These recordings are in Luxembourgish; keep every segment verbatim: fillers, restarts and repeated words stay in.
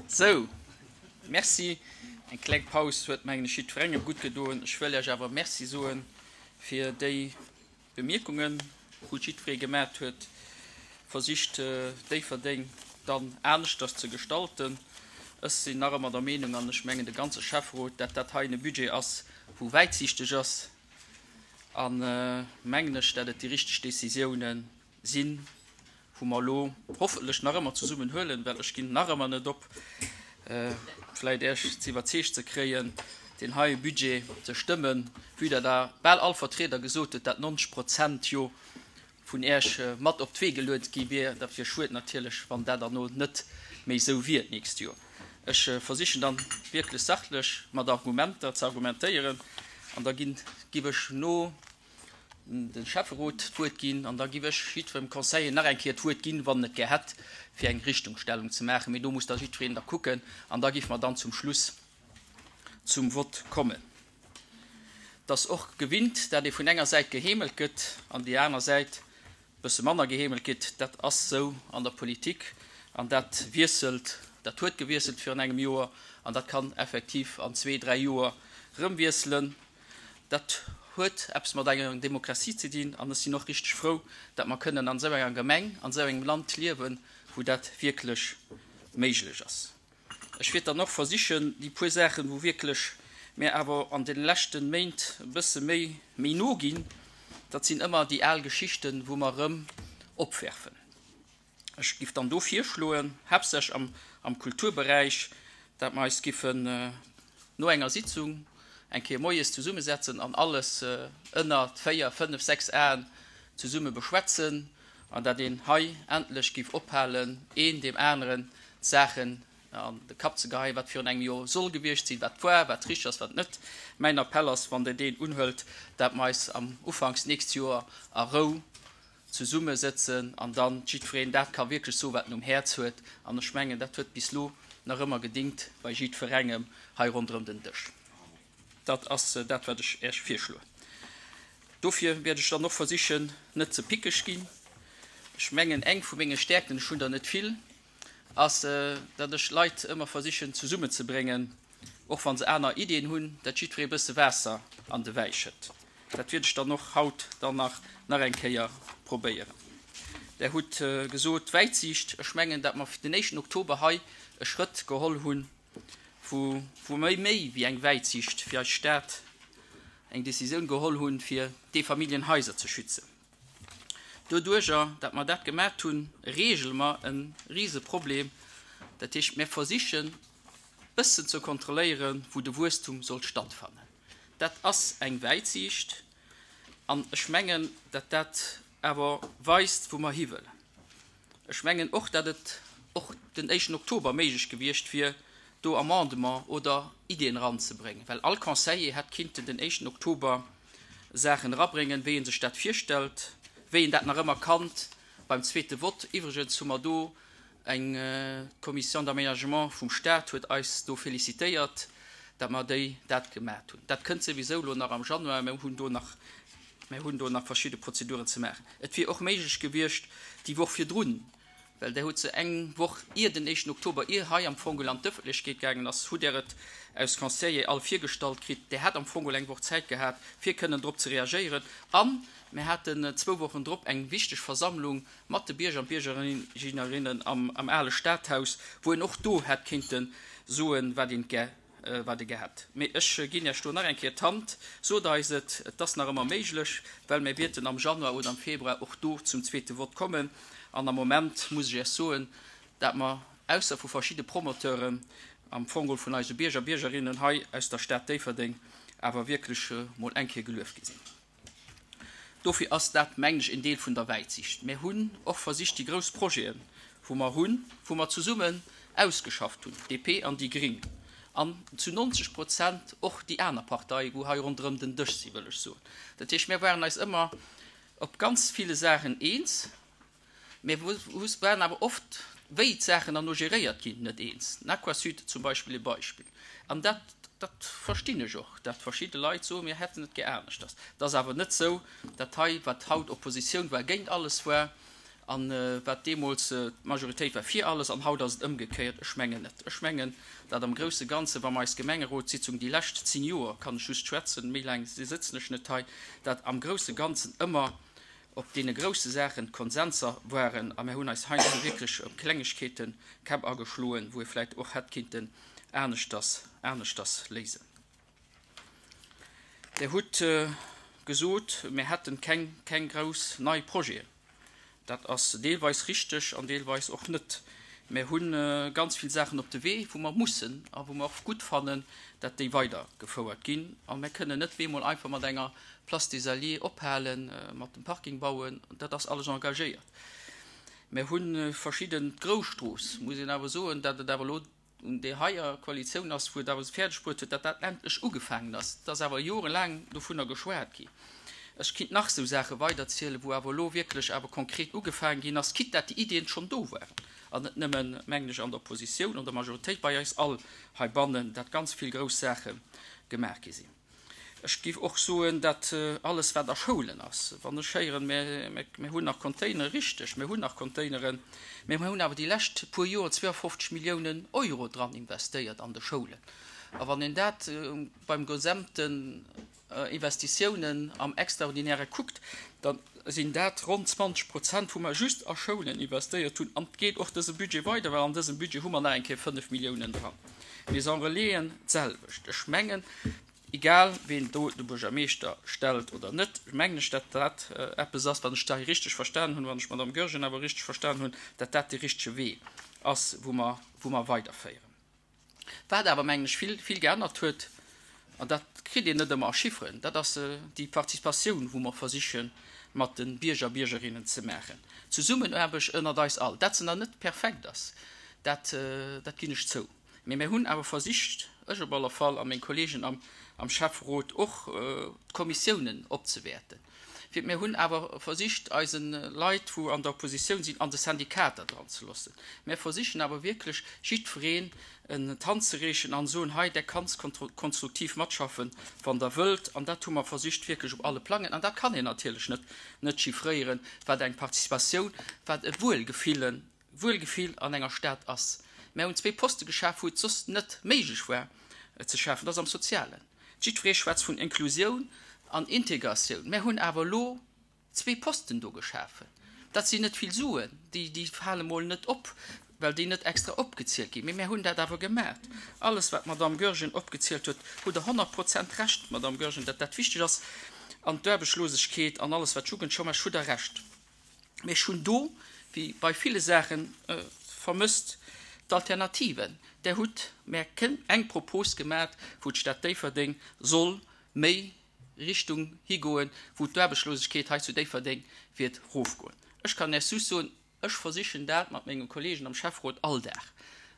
Sou, Merci. Eng kleng Paus huet, mengen ech, jiddwerengem gutt gedoen. Ech wëll Iech awer Merci soe fir déi Bemierkungen, wou jiddweree gemat huet, versicht Déifferdeng dann aneschters ze gestalten. Ech sinn nach ëmmer der Meenung, an ech mengen de ganze Schäfferot, dat dat hei e Budget ass, wou wäitsiichteg ass, a mengen ech, dat et déi richteg Décisiounen sinn, wou mer elo hoffentlech nach ëmmer zesummen huelen, well ech ginn nach ëmmer net op, vläicht Iech ze iwwerzeegt ze kréien, deen heie Budget ze stëmmen, vue dat Der bal all Vertrieder gesot hutt, dat nonzeg Prozent jo vun Iech mat op d'Wee geluet gi wier. Dat wier schued natierlech, wann dat herno net méi esou wier d'nächst Joer. Ech versichen dann wierklech sachlech mat Argumenter ze argumentéieren an da ginn, giff ech no de Schäfferot d'Wuert ginn an da giff ech jiddwerem Conseiller nach eng Kéier d'Wuert ginn, wann en et gär hätt, fir eng Richtungstellung ze maachen. Mee do muss da jiddwereen da kucken an da giff mer dann zum Schluss zum Vott kommen. Et ass och gewinnt, dat ee vun enger Säit geheemelt gëtt an déi aner Säit e bësse manner geheemelt gëtt. Dat ass sou an der Politik an dat wiesselt, dat huet gewiesselt virun engem Joer an dat kann effektiv an zwee, dräi Joer erëm wiesselen. Dat huet eppes mat enger Demokratie ze dinn an ech sinn och richteg frou, datt mer kënnen an esou enger Gemeng, an esou engem Land liewen, wou dat wierklech méiglech ass. Ech wäert dann och versichen, déi puer Saachen, wou wierklech mir awer an deene leschte Méint e bësse méi méi no ginn, dat sinn ëmmer déi al Geschichten, wou mer erëm opwerfen. Ech giff dann do virschloen, haaptsächlech am, am Kulturberäich, dat mer eis giffen no enger Sitzung eng Kéier moies zesummesetzen an alles ënner véier, fënnef, sechs Aen zesumme beschwätzen an dat een hei endlech giff ophalen, een deem aneren d'Saachen an de Kapp ze geheien, wat virun engem Joer soll gewiescht sinn, wat war, wat richteg ass, wat net. Mäin Appell ass, wann Der deen unhëlt, dat mer eis am ufanks d'nächst Joer a Rou zesummesëtzen an dann jiddwereen dat ka wierklech soen, wat en um Häerz huet. An ech mengen, dat huet bis elo nach ëmmer gedingt bei jiddwerengem hei ronderëm den Dësch. Dat ass dat, wat ech Iech virschloen. Dofir wäert ech dann och versichen, net ze pickeg ginn. Ech mengen, eng vu menge Stäerkten, ech hunn der net vill, ass, datt ech d'Leit ëmmer versichen zesummenzebréngen, och wa se aner Iddien hunn, datt jiddweree e bësse Waasser an de Wäi schëtt. Dat wäert ech dann och haut dann nach nach eng Kéier probéieren. Der hutt gesot, Wäitsiicht. Ech mengen, datt mer den éischten Oktober hei e Schrëtt geholl hunn, wou wou mer méi wéi eng Wäitsiicht fir eis Stad eng Décisioun geholl hunn, fir d'Eefamilljenhaiser ze schützen. Doduerjer, datt mer dat gemat hunn, regele mer e Riseproblem. Dat heescht, mir versichen bëssen ze kontrolléieren, wou de Wuesstum soll stattfannen. Dat ass eng Wäitsiicht an ech mengen, datt dat awer weist, wou mer hiwëllen. Ech mengen och, datt et och den éischten Oktober méiglech gewiescht wier, do Amendement oder Iddien eranzebréngen, well all Conseiller hätt kinnten den éischten Oktober Saachen erabréngen, wéi e sech dat virstellt, wéi en dat nach ëmmer kannt beim zweete Vott. Iwwregens hu mer do eng Commission d'aménagement vum Stat huet eis do félicitéiert, dat mer déi dat gemat hunn. Dat kënnt souwisou elo nach am Januar. Mer hunn do nach, mer hunn do nach verschidde Prozeduren ze maachen. Et wier och méiglech gewiescht, déi Woch virdrun, well Der hutt se eng Woch ier den éischten Oktober, ier hei am Fong an d'Ëffentlechkeet gaangen ass, hutt Der et aus Conseiller all virgestallt kritt. Der hätt am Fong eng Woch Zäit gehat, fir kënnen drop ze reagéieren. A mir haten zwou Wochen drop eng wichteg Versammlung mat de Bierger an Biergerinnen am ale Stadhaus, wou een och do hätt kéinte soen, wat een gär wat e gär hätt. Mee ech ginn Iech do nach eng Kéier d'Hand, sot eis et, et ass nach ëmmer méiglech, well mir wäerten am Januar oder am Februar och do zum zweete Vott kommen. An am Moment muss ech Iech soen, dat mer ausser vu verschidde Promoteuren, am Fong geholl vun eise Bierger, Biergerinnen hei aus der Stad Déifferdeng, awer wierklech mol eng Kéier gelueft gi sinn. Dofir ass dat, mengen ech, en Deel vun der Wäitsicht. Mir hunn och versicht, déi grouss Projeten, wou mer hunn, wou mer zesummen ausgeschafft hunn, D P an déi Gring, an zu neunzeg Prozent och déi aner Partei, wou hei ronderëm den Dësch sinn, wëll ech soen. Dat heescht, mir waren eis ëmmer op ganz ville Saachen eens, mir waren awer oft, wéi d'Saachen dann no geréiert ginn, net eens. Den Aquasud zum Beispill e Beispill. An dat, dat verstinn ech och, dat verschidde Leit soen, mir hätten et gär aneschters. Et ass awer net esou, dat hei, wat haut Oppositioun war, géint alles war, a wat deemools d'Majoritéit war fir alles, an haut ass et ëmgekéiert. Ech mengen net. Ech mengen, dat am grousse Ganze, wa mer eis Gemengerotssitzung déi lescht zéng Joer, kann ech just schwätzen, méi laang sëtzen ech net hei, dat am grousse Ganzen ëmmer op deene grousse Saachen Konsenser waren a mir hunn eis heiansdo wierklech ëm Klengegkeeten d'Käpp ageschloen, wou ee vläicht och hätt kinnten aneschters, aneschters léisen. Dir hutt gesot, mir hätten keng, keng grouss nei Projeten. Dat ass deelweis richteg an deelweis och net. Mir hu ganz vill Saachen op de Wee, wou mer mussen a wou mer och gutt fannen, dat déi weidergefouert ginn. A mir kënnen net bemol einfach mat enger Place des Alliés ophalen, mat dem Parking bauen. Dat ass alles engagéiert. Mir hu verschidden d'Grousstrooss, muss een awer soen, dat et awer elo un där heier Koalitioun ass, wou et awer fäerdeg bruet huet, dat dat endlech ugefaangen ass. Et ass awer jorelaang dovunner geschwat ginn. Ech kinnt nach esou Saache weiderzielen, wou awer elo wierklech awer konkret ugefaangen ginn ass, quitte dat déi Iddien schonn do waren, an net nëmmen, mengen ech, an der Oppositioun, an der Majoritéit, bei eis all heibannen, dat ganz vill grouss Saache gemaach gi sinn. Ech géif och soen, dat alles, wat a Schoulen ass, wann ech héieren, mir hunn nach Containeren, richteg, mir hunn nach Containeren, mä mir hunn awer déi lescht puer Joer zweeafofzeg Milliounen Euro dran investéiert an de Schoulen. A wann een dat beim gesamten Investitiounen am Extraordinäre kuckt, da sinn dat ronn zwanzeg Prozent, wou mer just a Schoulen investéiert hunn. An et geet och dëse Budget weider, well an dësem Budget hu mer nach eng Kéier fënnef Milliounen dran. Maison Relaisen d'selwecht. Ech mengen, egal ween do de Buergermeeschter stellt oder net, mengen ech, datt dat eppes ass, wann ech dat hei richteg verstanen hunn, wann ech d'Madame Goergen awer richteg verstan hunn, datt dat dee richtege Wee ass, wou mer, wou mer weiderféieren. Wat awer, mengen ech, vill, vill geännert huet, an dat kritt een net ëmmer a Chifferen, dat ass déi Participatioun, wou mer versiche mat de Bierger, Biergerinnen ze maachen. D'Zesummenaarbecht ënnert eis all. Dat se nach net perfekt ass, dat, dat ginn ech zou. Mee mir hunn awer versicht, ech op alle Fall a meng Kolleegen am, am Schäfferot och, d'Kommissiounen opzewäerten. Fir mir hunn awer versicht, eise Leit, wou an der Oppositioun sinn, an de Syndikater dran ze loossen. Mir versichen awer wierklech, jiddwereen d'Hand ze reechen an soen, hei, där kanns konstruktiv matschaffen, wann Der wëllt. An dat hu mer versicht wierklech op alle Plangen. An dat kann een natierlech net, net chiffréieren, wat eng Participatioun, wat e Wuelgefillen, Wuelgefill an enger Stad ass. Mär hunn zwee Poste geschaf, wou et soss net méiglech war ze schafen, dat ass am Sozialen. Jiddweree schwätzt vun Inklusioun an Integratioun. Mär hunn awer elo zwee Posten do geschafen. Dat sinn net vill Suen, déi, déi fale mol net op, well déi net extra opgezielt ginn. Mee mär hunn dat awer gemaat. Alles, wat d'Madame Goergen opgezielt huet, hutt Der honnert Prozent Recht, Madame Goergen, datt dat wichteg ass. An d'Aarbechtslosegkeet an alles, wat d'Jugendchômage, hutt Der Recht. Mee ech hunn do, wéi bei ville Saachen, vermësst d'Alternativen. Der hutt mär eng Propos gemat, wou d'Stad Déifferdeng soll méi Richtung higoen, wou d'Aarbechtslosegkeet hei zu Déifferdeng wäert rofgoen. Ech kann Iech just soen, ech versichen dat mat menge Kollegen am Schäfferot all Dag.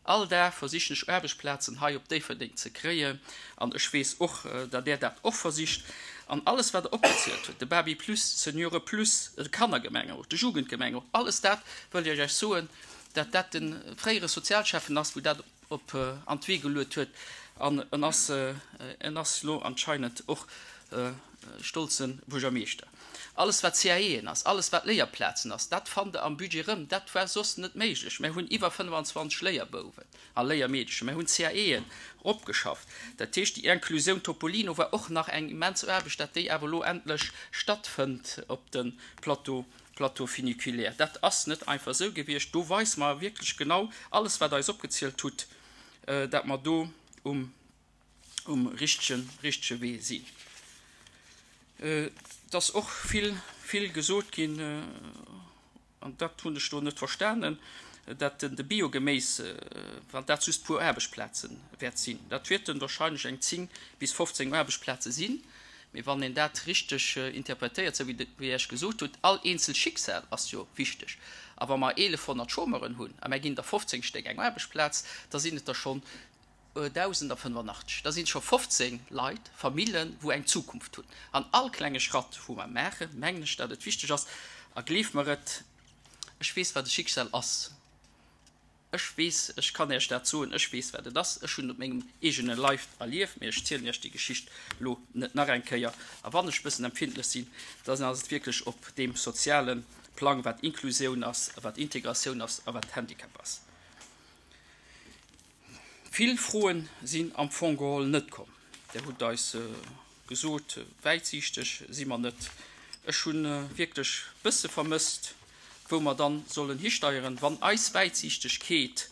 All Dag versichen ech Aarbechtsplazen hei op Déifferdeng ze kréien an ech weess och, datt Der dat och versicht. An alles, wat Der opgezielt hutt, de Baby Plus, d'Seniore Plus, de Kannergemengerot, de Jugendgemengerot, alles dat wëll ech Iech soen, datt dat de fréiere Sozialschäffen ass, wou dat op an d'Wee geluet huet an en ass, en ass elo anscheinend och stolze Buergermeeschter. Alles wat C A Eën ass, alles wat Léierplazen ass, dat fannt Der am Budget erëm. Dat war soss net méiglech. Mir hunn iwwer fënnefanzwanzeg Léierbouwen a Léiermeedchen. Mir hunn C A Eën eropgeschafft. Dat heescht, déi Inclusioun Topolino war och nach eng immens Aarbecht, dat déi awer elo endlech stattfënnt op de Plateau, Plateau funiculaire. Dat ass net einfach esou gewiescht. Do weise mer wierklech genau alles, wat Der eis opgezielt hutt, dat mer do um, um richtegen, richtege Wee sinn. Et ass och vill, vill gesot ginn, an dat hunn ech do net verstanen, dat de Biogeméis, wann dat just puer Aarbechtsplaze wäert sinn. Dat wäerten wahrscheinlech eng zéng bis fofzéng Aarbechtsplaze sinn. Mee wann een dat richteg interpretéiert, esou wéi Der Iech gesot hutt, all eenzel Schicksal ass jo wichteg. A wa mer eelefhonnert Chômeuren hunn a mer ginn der fofzéng Stéck eng Aarbechtsplaz, da sinn et der schonn dausendafënnefenachtzeg. Da sinn et scho fofzéng Leit, Famillen, wou eng Zukunft hunn. An all klenge Schratt, wou mer maachen, mengen ech, datt et wichteg ass. A gleeft mer et, ech weess, wat e Schicksal ass. Ech weess, ech kann Iech dat soen, ech weess, wat et ass. Ech hunn et op mengem eegene Leif erlieft, mee ech zielen Iech déi Geschicht elo net nach eng Kéier. A wann ech e bëssen empfindlech sinn, dann ass et wierklech op deem soziale Plang, wat Inklusioun ass a wat Integratioun ass a wat Handicap ass. Vill Froen sinn am Fong geholl net komm. Dir hutt eis gesot, wäitsiichteg si mer net. Ech hu wierklech e bësse vermësst, wou mer dann sollen histeieren, wann eis Wäitsiichtegkeet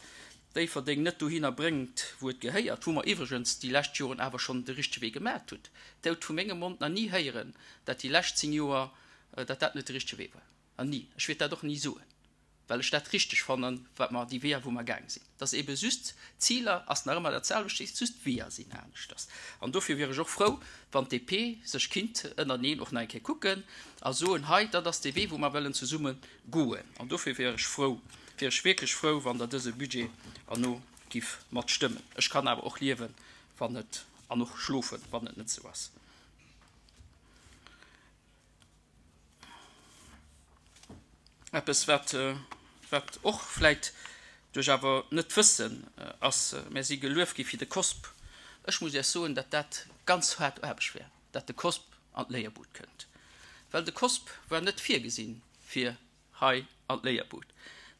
Déifferdeng net dohinner bréngt, wou et gehéiert, wou mer iwwregens déi lescht Joren awer schonn de richtege Wee gemaacht hutt. Dir hutt vu mengem Mond nach ni héieren, dat déi lescht zéng Joer, dat dat net de richtege Wee war. Nach ni. Ech wäert dat och ni soen. well ech dat richteg fannen, wat mer, déi Weeër, wou mer gaang sinn. Dass ebe just d'Ziler ass nach ëmmer dat selwecht, just d'Weeër sinn aneschters. An dofir wier ech och frou, wann d'D P sech kinnt ënnerteneen och nach eng Kéier kucken a soen, hei, dat ass dee Wee, wou mer wëllen zesumme goen. An dofir wier ech frou, wier ech wierklech frou, wann Der dëse Budget herno giff matstëmmen. Ech kann awer och liewen, wann et, an och schlofen, wann et net esou ass. Eppes, wat, wat och vläit duerch awer net wëssen ass, Mär si gelueft gi fir de COSP. Ech muss Iech soen, datt dat ganz haart Aarbecht war, datt de COSP an d'Léierbud kënnt, well de COSP war net virgesinn fir hei an d'Léierbud.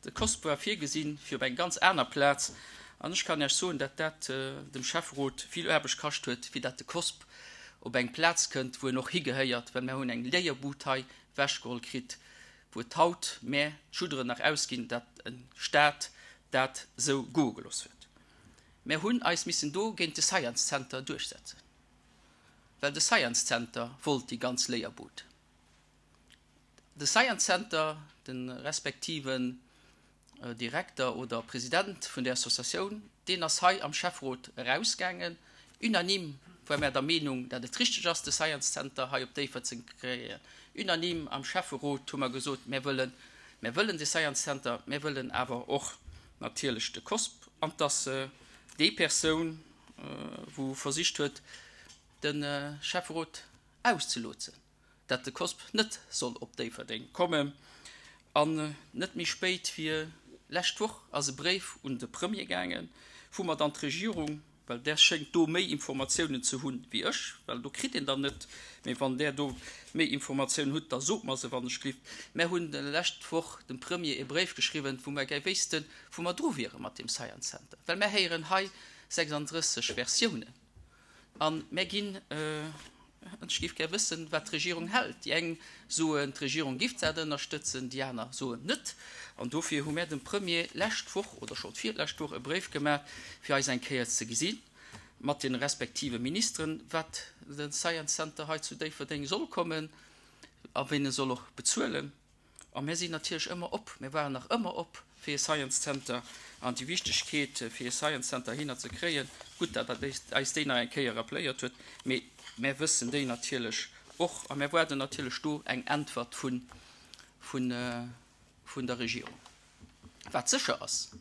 De COSP war virgesinn fir op eng ganz aner Plaz. An ech kann Iech soen, datt dat dem Schäfferot vill Aarbecht kascht huet, fir datt de COSP op eng Plaz kënnt, wou en och higehéiert, well mär hunn eng Léierbud hei ewechgeholl kritt, wou et haut mär d'Schudderen nach ausginn, datt e Stat dat esou goe gelooss huet. Mär hunn eis missen do géint de Science Center duerchsetzen, well de Science Center wollt déi ganz Léierbud. De Science Center, de respektiven Direkter oder President vun där Associatioun, deen ass hei am Schäfferot erausgaangen. Unanime ware mär der Meenung, dat et richteg ass, de Science Center hei op Déifferdeng ze kréien. Unanime am Schäfferot hu mer gesot, mär wëllen, mär wëllen de Science Center, mär wëllen awer och natierlech de COSP. An dass déi Persoun, wou versicht huet, de Schäfferot auszelotsen, dat de COSP net soll op Déifferdeng kommen. An net méi spéit wéi lescht Woch ass e Bréif un de Premier gaangen, wou mer dann d'Regierung, well där schéngt do méi Informatiounen ze hunn wéi ech, well do kritt een der net, mee wann där do méi Informatiounen hutt, da sot mer se wann ech glift. Mär hunn lescht Woch dem Premier e Bréif geschriwwen, wou mer gär wéissten, wou mer dru wiere mat deem Science Center, well mär héieren hei sechsanddrësseg Versiounen a mär ginn, ech géif gär wëssen, wat d'Regierung hält. Déi eng soen, d'Regierung giff dat ënnerstëtzen, déi aner soen net. An dofir hu mär dem Premier lescht Woch oder schonn d'virlescht Woch e Bréif gemaach, fir eis eng Kéier ze gesi mat de respektive Ministeren, wat de Science Center hei zu Déifferdeng soll kommen a wien e soll och bezuelen. A mär sinn natierlech ëmmer op, mär waren nach ëmmer op fir e Science Center an déi Wichtegkeet fir e Science Center hinner ze kréien. Gutt, datt Der eis déi nach eng Kéier rappléiert hutt, mee mär wëssen déi natierlech och a mär waarden natierlech do eng Äntwert vun, vun, vun der Regierung. Wat sécher ass,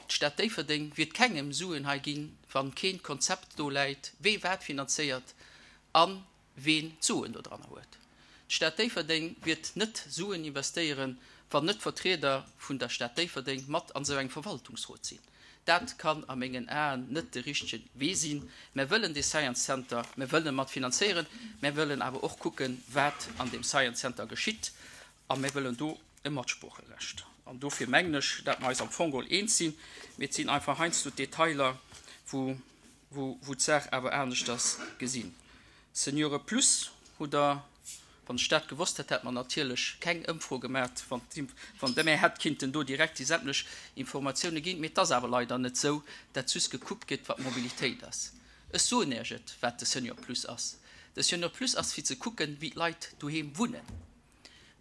D'Stad Déifferdeng wiert kengem Suen hei ginn, wann keen Konzept do läit, wee wat finanzéiert a ween d'Suen dodranner huet. D'Stad Déifferdeng wiert net Suen investéieren, wann net Vertrieder vun der Stad Déifferdeng mat an esou engem Verwaltungsrot sinn. Dat kann a mengen Aen net de richtege Wee sinn. Mär wëllen dee Science Center, mär wëllen e mat finanzéieren, mär wëllen awer och kucken, wat an deem Science Center geschitt a mär wëllen do e Matsproocherecht. An dofir mengen ech, dat mer eis am Fong geholl eens sinn, mee et sinn einfach heiansdo d'Detailer, wou, wou, wou d'Saach awer aneschters gesinn. Seniore Plus hutt Der, wann ech dat gewosst hätt, hätt mer natierlech keng Ëmfro gemat, wann, wann Der mär hätt kinnten do direkt déi sämtlech Informatioune ginn. Mee et ass awer leider net esou, dat just gekuckt gëtt, wat d'Mobilitéit ass. Ech soen Iech et, wat de Senior Plus ass. De Senior Plus ass fir ze kucken, wéi d'Leit doheem wunnen.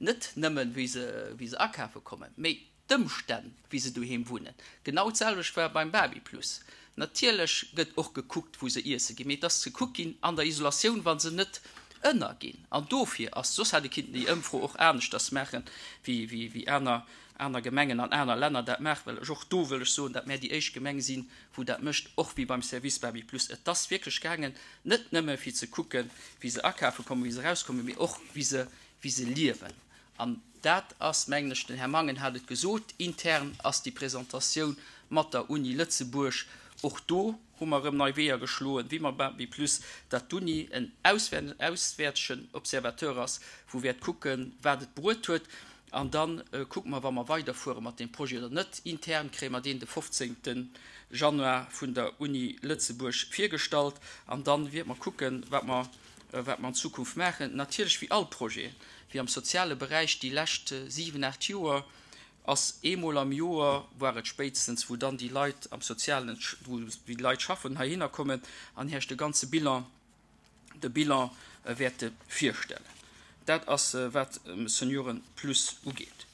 Net nëmmen, wéi se, wéi se akafe kommen, mee d'Ëmstänn, wéi se doheem wunnen. Genau d'selwecht war beim Babyplus. Natierlech gëtt och gekuckt, wou se iesse ginn, mee et ass gekuckt ginn an der Isolatioun, wa se net ënnerginn. An dofir ass, soss hätt ee kinnten déi Ëmfro och aneschters maachen, wéi, wéi, wéi aner, aner Gemengen an aner Länner dat maachen, well ech och do wëll ech soen, datt mär déi éischt Gemeng sinn, wou dat mécht, och wéi beim Service Babyplus. Et ass wierklech gaangen, net nëmme fir ze kucken, wéi se akafe kommen, wéi se erauskommen, mee och wéi se, wéi se liewen. An dat ass, mengen ech, den Här Mangen hat et gesot, intern ass déi Presentatioun mat der Uni Lëtzebuerg, och do hu mer erëm nei Weeër geschloen, wéi mam Babyplus, datt d'Uni en auswäertegen Observateur ass, wou wäert kucken, wat et bruet huet. An da kucke mer, wa mer weiderfuere mat deem Projet oder net. Intern kréie mer deen de fofzéngte Januar vun der Uni Lëtzebuerg virgestallt. An da wäerte mer kucken, wat mer wat mer an Zukunft maachen. Natierlech, wéi all Projet, wéi am soziale Beräich déi lescht siwen, aacht Joer, ass eemol am Joer, war et spéitstens, wou dann déi Leit am Sozialen, wou déi Leit schaffen, heihinner kommen an herch de ganze Bilan, de Bilan wäerte virstellen. Dat ass, wat Senioren Plus ugeet.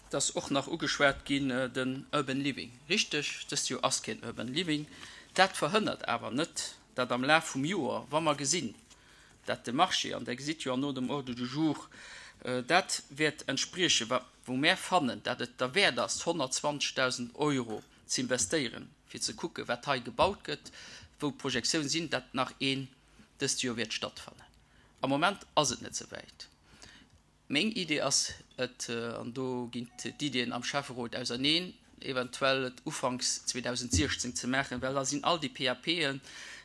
Et ass och nach ugeschwat ginn, den Urban Living. Richteg, dëst Joer ass keen Urban Living. Dat verhënnert awer net, datt am Laf vum Joer, wa mer gesinn, dat de Marché, an Der gesitt jo an no dem Ordre du jour, dat wäert entspriechen, wa wou mär fannen, dat et derwäert ass, honnertzwanzegdausend Euro ze investéieren, fir ze kucken, wat hei gebaut gëtt, wou d'Projektiounen sinn, dat nach een dëst Joer wäert stattfannen. Am Moment ass et net esou wäit. Meng Idee ass et, an do ginn d'Iddien am Schäfferot auserneen, eventuell et ufanks zweedausendsiechzéng ze maachen, well da sinn all déi P A P'en,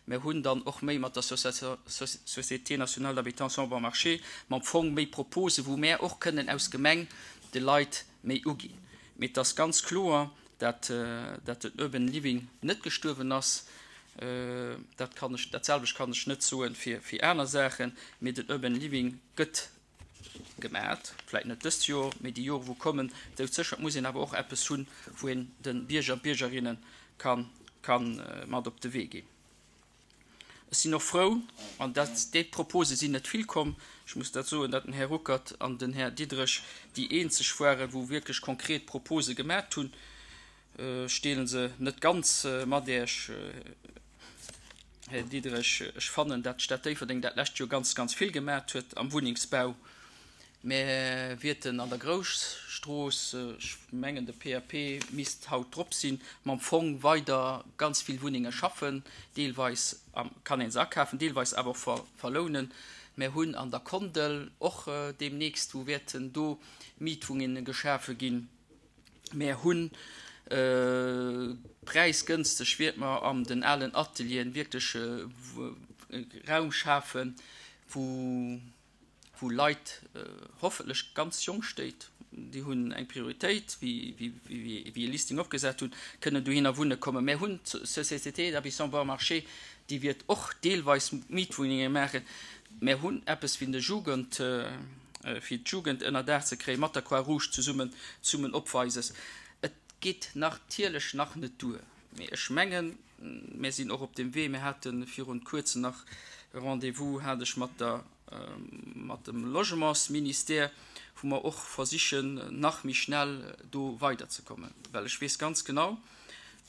mir hunn dann och méi mat der Société nationale d'habitation bon marché, mam Fong méi Propose, wou mär och kënnen aus Gemeng de Leit méi uginn. Mee et ass ganz kloer, dat, dat den Urban Living net gestuerwen ass. Dat kann ech, dat selwecht kann ech net soen fir, fir aner Saachen, mee den Urban Living gëtt gemaat, vläicht net dëst Joer, mee déi Jore wou kommen, doudsécher muss een awer och eppes hunn, wou een de Bierger an d'Biergerinnen kann, kann mat op de Wee ginn. Ech sinn och frou, an dat, déi Propose sinn net vill komm, ech muss dat soen, datt den Här Ruckert an den Här Diderich déi eenzeg waren, wou wierklech konkret Propose gemaat hunn. Ech deelen se net ganz mat Iech, Här Diderich. Ech fannen, datt d'Stad Déifferdeng dat lescht Joer ganz, ganz vill gemaat huet am Wunnengsbau. Mir wierten an der Grousstrooss, ech mengen de P A P misst haut drop sinn, mam Fong weider ganz vill Wunnenge schaffen. Deelweis kann een se akafen, deelweis awer och ver-, verlounen. Mir hunn an der Kondel och demnächst, wou wäerten do Mietwunnenge geschafe ginn. Mir hunn preisgünstig wird man an den allen Atelieren wirklich Raum schafen, wo, wo Leute hoffentlich ganz jung steht, die hun eng Prioritéit, wie, wie, wie, wie e Listing opgesetzt hun, können du hin Wunne kommen. Mehr hun Société d'Habitation Bon Marché, die wird och deelweis Mietwohnungen machen. Mehr hun eppes wie de Jugend, äh, fir d'Jugend ënner Daach ze kréien, mat der Croix-Rouge zesummen, zesummen opweises. Et geet natierlech nach net duer. Mee ech mengen, mir sinn och op dem Wee, mir haten virun kuerzem nach e Rendez-vous, hat ech mat der, äh, mat dem Logementsministère, wo wir och versichen, nach méi schnell do weiterzukommen. Well ech weess ganz genau,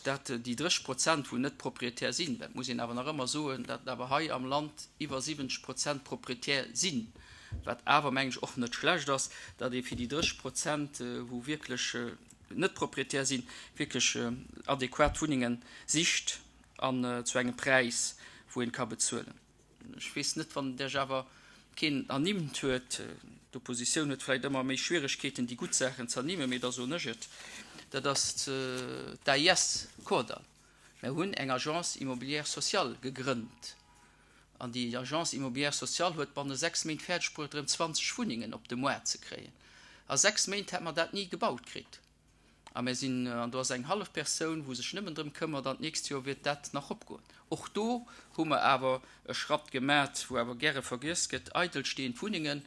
dat déi dreißig Prozent, wo net Proprietär sinn, dat muss een awer nach ëmmer soen, dat awer hei am Land iwwer siwwenzeg Prozent Proprietär sinn, wat awer mengen ech och net schlecht ass, dat ee fir déi dreißig Prozent, wo wirklich net Proprietär sinn, wirklich adäquat Wunnungen sicht an zu engem Preis, wo een ka bezuelen. Ech weess net, wann der awer keen ernimmt huet, d'Opposition huet vielleicht ëmmer méi Schwierigkeeten, déi gutt Saachen ze ernimmen, mee da soen ech et. Dat ass d'A I S Kordall. Mir hunn eng Agence immobilière sociale gegrënnt. An déi Agence immobilière sociale huet banne sechs Méint fäerdeg bruecht, erëm zwanzeg Wunnungen op de Moart ze kréien. A sechs Méint hätt man dat nie gebaut kritt. A mir sinn, an do ass eng hallef Persoun, wou sech nëmmen drëm këmmert, an d'nächst Joer wird dat nach opgoen. Och do hu mer awer e Schratt gemaat, wou awer gäre vergiess gëtt, eidelstehend Wunnungen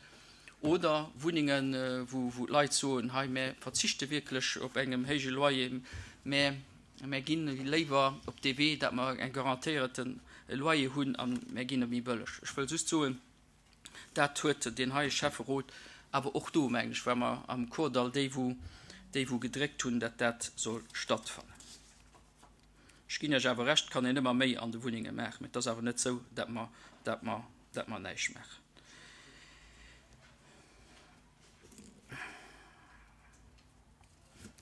oder Wunnungen, wou, wou d'Leit soen, hei, mir verzichte wierklech op engem héije Loyer, mä mir ginn léiwer op de Wee, dat mer en garantéierten Loyer hunn an mir ginn méi bëlleg. Ech wëll just soen, dat huet den heie Schäfferot Awer och do, mengen ech, ware mer am Kordall déi, wou, déi wou gedréckt hunn, dat dat soll stattfannen. Ech ginn Iech awer Recht, et kann een ëmmer méi an de Wunnenge maachen, mä et ass awer net esou, dat mer, dat mer, dat mer näischt maachen.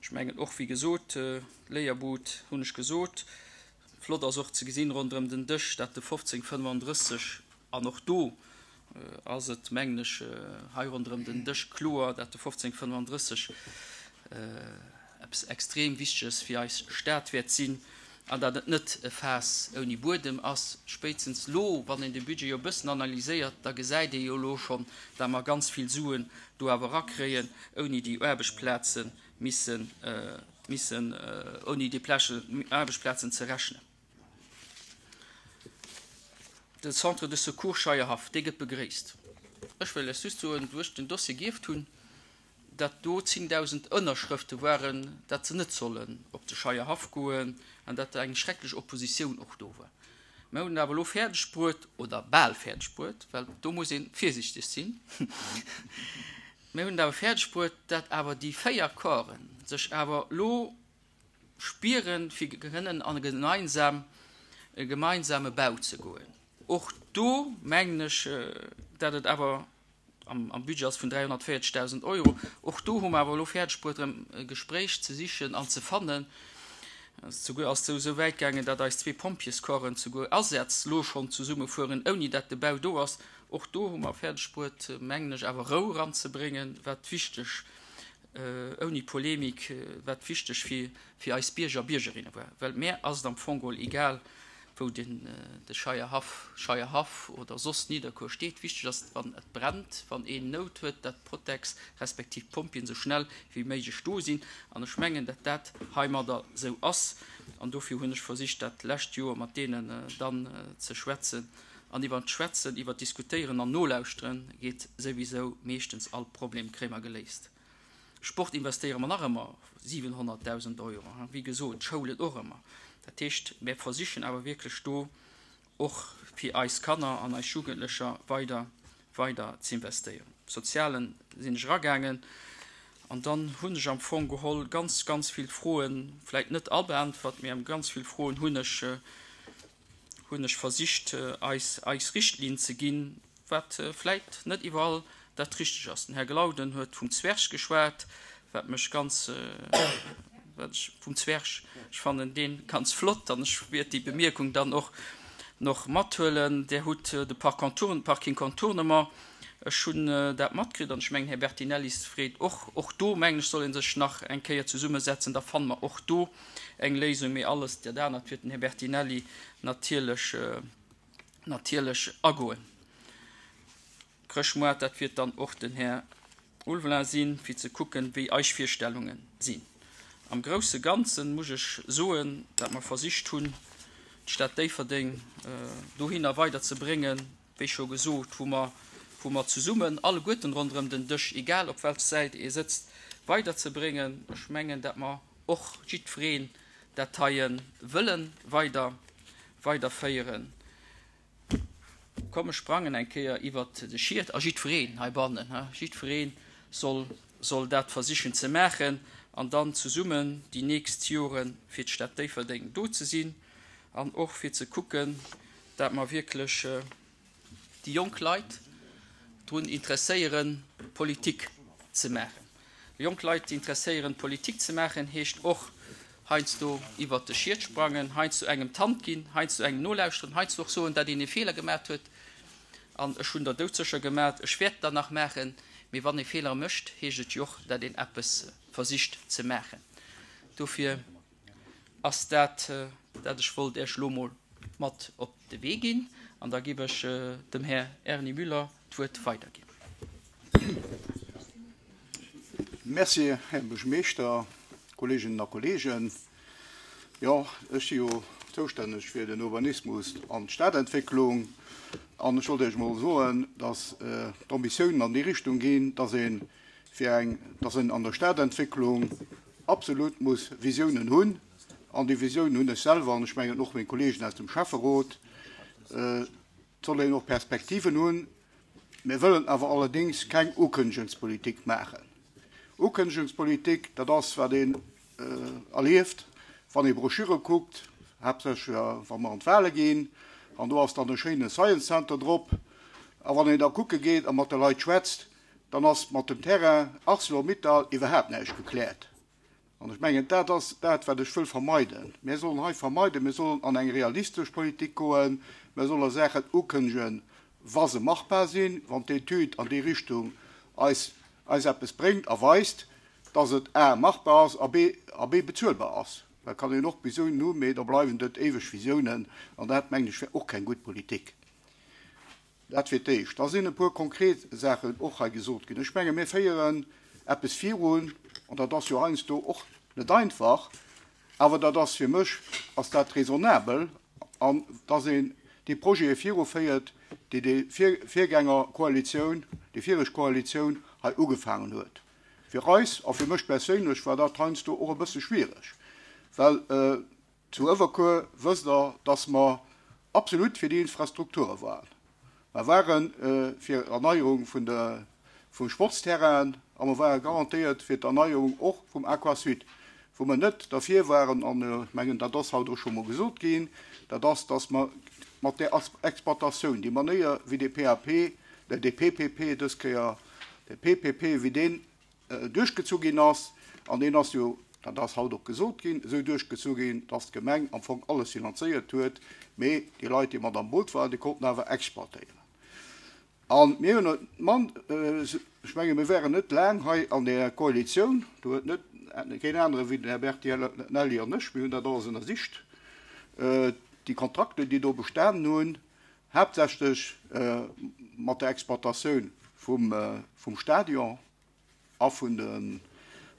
Ech mengen och, wéi gesot, Léierbud hunn ech gesot. Flott ass och ze gesinn ronderëm den Dësch, dat de fofzéng fënnefandrësseg, an och do ass et, mengen ech, hei ronderëm den Dësch kloer, dat de fofzéng fënnefandrësseg eppes extrem Wichteges fir eis Stad wäert sinn an dat et net e Faass ouni Buedem ass. Spéitstens elo, wann een de Budget jo e bëssen analyséiert, da gesäit ee jo elo schonn, dat mer ganz vill Suen do awer erakréien, ouni déi Aarbechtsplaze missen, missen, ouni déi Aarbechtsplazen ze rechnen. De Centre de secours Scheierhaff, dee gëtt begréisst. Ech wëll lech just soen, wou ech den Dossier gierft hunn, dat do zéngdausend Ënnerschrëfte waren, dat se net sollen op de Scheierhaff goen an dat eng schrecklech Oppositioun och do war. Mir hunn et awer elo fäerdeg bruet, oder bal fäerdeg bruet, well do muss ee virsichteg sinn, mir hunn et awer fäerdeg bruet, dat awer déi véier Corpsen sech awer elo spieren, fir kënnen an e gemeinsame Bau ze goen. Och do mengen ech, dat et awer am Budget ass vun dräihonnertvéierzegdausend Euro. Och do hu mer awer elo fäerdeg bruet, erëm e Gespréich ze sichen an ze fannen. Souguer ass et esou wäit gaangen, datt eis zwee Pompjeescorpsen souguer Asätz elo schonn zesumme fueren, ouni datt de Bau do ass. Och do hu mer fäerdeg bruet, mengen ech, awer Rou eranzebréngen, wat wichteg, ouni Polemik, wat wichteg fir fir eis Bierger a Biergerinne war. Well mär ass et am Fong geholl egal, wou den de Scheierhaff, Scheierhaff oder soss Nidderkuer steet. Wichteg ass, wann et brennt, wann een Nout huet, dat d'Protex respektiv d'Pompjeeën esou schnell wéi méiglech do sinn. An ech mengen, dat dat heimadder esou ass. An dofir hunn ech versicht, dat lescht Joer mat deenen dann ze schwätzen. An iwwer d'Schwätzen, iwwer d'Diskutéieren an Nolauschteren geet souwisou meeschtens all Problem, kréie mer geléist. Sport investéiere mer nach ëmmer siwenhonnertdausend Euro, wéi gesot, d'Schoulen och ëmmer. Dat heescht, mir versichen awer wierklech do och fir eis Kanner an eis Jugendlecher weider, weider ze investéieren. Sozialen sinn ech eragaangen an dann hunn ech am Fong geholl ganz, ganz vill Froen, vläicht net all beäntwert, mee ganz vill Froen hunn ech, hunn ech versicht eis, eis Richtlinn ze ginn, wat vläicht net iwwerall dat richteg ass. Den Här Glauden huet vum Zwerg geschwat, wat mech ganz, wat ech vum Zwerg, ech fannen dee ganz flott an ech wäert déi Bemierkung dann och noch mathuelen. Där hutt de Parking Contournement, ech hunn dat matkritt an ech mengen, Här Bertinelli freet och, och do mengen ech soll ee sech nach eng Kéier zesummesetzen, da fanne mer och do eng Léisung, mee alles dat anert wäert den Här Bertinelli natierlech, natierlech agoen. Chrëschtmoart, dat wiert dann och den Här Ulveling sinn, fir ze kucken, wéi eis Virstellunge sinn. Am grousse Ganze muss ech soen, dat mer versicht hunn, d'Stad Déifferdeng dohinner weiderzebréngen, wéi scho gesot, wou mer, wou mer zesummen alleguerten ronderëm den Dësch, egal op welch Säit ee sëtzt, weiderzebréngen. Ech mengen, dat mer och jiddwereen dat heie wëlle weider, weiderféieren. Komm, ech sprangen eng Kéier iwwert de Schiet a jiddwereen heibannen, jiddweree soll, soll dat versichen ze maachen an dann zesummen déi nächst Jore fir d'Stad Déifferdeng do ze sinn an och fir ze kucken, dat mer wierklech déi jonk Leit drun interesséieren, Politik ze maachen. Jonk Leit interesséieren, Politik ze maachen, heescht och heiansdo iwwert de Schiet sprangen, heiansdo engem d'Hand ginn, heiansdo engem nolauschteren, heiansdo och soen, datt een e Feeler gemaat huet. An ech hunn der doudsécher gemaat, ech wäert der nach maachen. Mee wann ee Feeler mécht, heescht et jo och, datt een eppes versicht ze maachen. Dofir ass dat, dat ech wollt Iech elo mol mat op de Wee ginn. An da giff ech dem Här Erny Müller d'Wuert weiderginn. Merci, Här Buergermeeschter, Kolleeginnen a Kolleegen. Jo, ech si jo zoustänneg fir den Urbanismus an d'Stadentwécklung. An ech wollt Iech emol soen, dass d'Ambitiounen an déi Richtung ginn, dass ee fir eng, dass een an der Stadentwécklung absolut muss Visiounen hunn. An déi Visiounen hunn ech selwer an ech mengen och meng Kolleegen aus dem Schäfferot. Et soll een och Perspektiven hunn. Mir wëllen awer allerdéngs keng Ukënnegungspolitik maachen. Ukënnegungspolitik, dat ass, wat een erlieft, wann ee Broschüre kuckt, haaptsächlech wa mer an d'Wale ginn, an do ass dann e schéine Science Center drop. A wann een da kucke geet a mat de Leit schwätzt, dann ass mat dem Terrain Arcelor-Mittal iwwerhaapt näischt gekläert. An ech mengen, dat ass dat, wat ech wëll vermeiden. Mir sollen hei vermeiden, mir sollen an eng realistesch Politik goen, mir solle Saachen ukënnegen, wa se machbar sinn, wann d'Etüd an déi Richtung eis, eis eppes bréngt a weist, dass et a machbar ass a b, a b bezuelbar ass. Da kann een och Visiounen hunn, mee da bleiwen dat éiweg Visiounen, an dat, mengen ech, wär och keng gutt Politik. Dat fir d'éischt. Da sinn e puer konkret Saachen och hei gesot ginn. Ech menge mir féieren eppes virun, an dat ass jo heiansdo och net einfach, awer dat ass fir mech ass dat raisonnabel, an dass een déi Projete viruféiert, déi déi Virgängerkoalitioun, déi viregt Koalitioun hei ugefaangen huet. Fir eis a fir mech perséinlech war dat heiansdo och e bësse schwiereg, well zu Uewerkuer wësst Der, dass mer absolut fir déi Infrastrukture waren. Mer ware fir Erneierung vun de vum Sportsterrain a mer ware garantéiert fir d'Erneierung och vum Aquasud. Wou mer net derfir waren, an ech mengen, dat ass haut och scho mol gesot ginn, dat ass, dass mer mat där Exploitatioun, déi Manéier wéi de P A P, de P P P dës Kéier, de P P P, wéi deen duerchgezu ginn ass, an deen ass jo, dat ass haut och gesot ginn, esou duerchgezu ginn, dass d'Gemeng am Fong alles finanzéiert huet, mee déi Leit, déi mat am Boot waren, déi konnten awer exploitéieren. An mir hunn man, ech menge mir wären net laang hei an der Koalitioun, do huet net keen anere wéi den Här Bertinelli an ech, mir hunn dat alles ënnersicht, déi Kontrakte, déi do bestanen hunn, haaptsächlech mat der Exploitatioun vum, vum Stadion a vun de,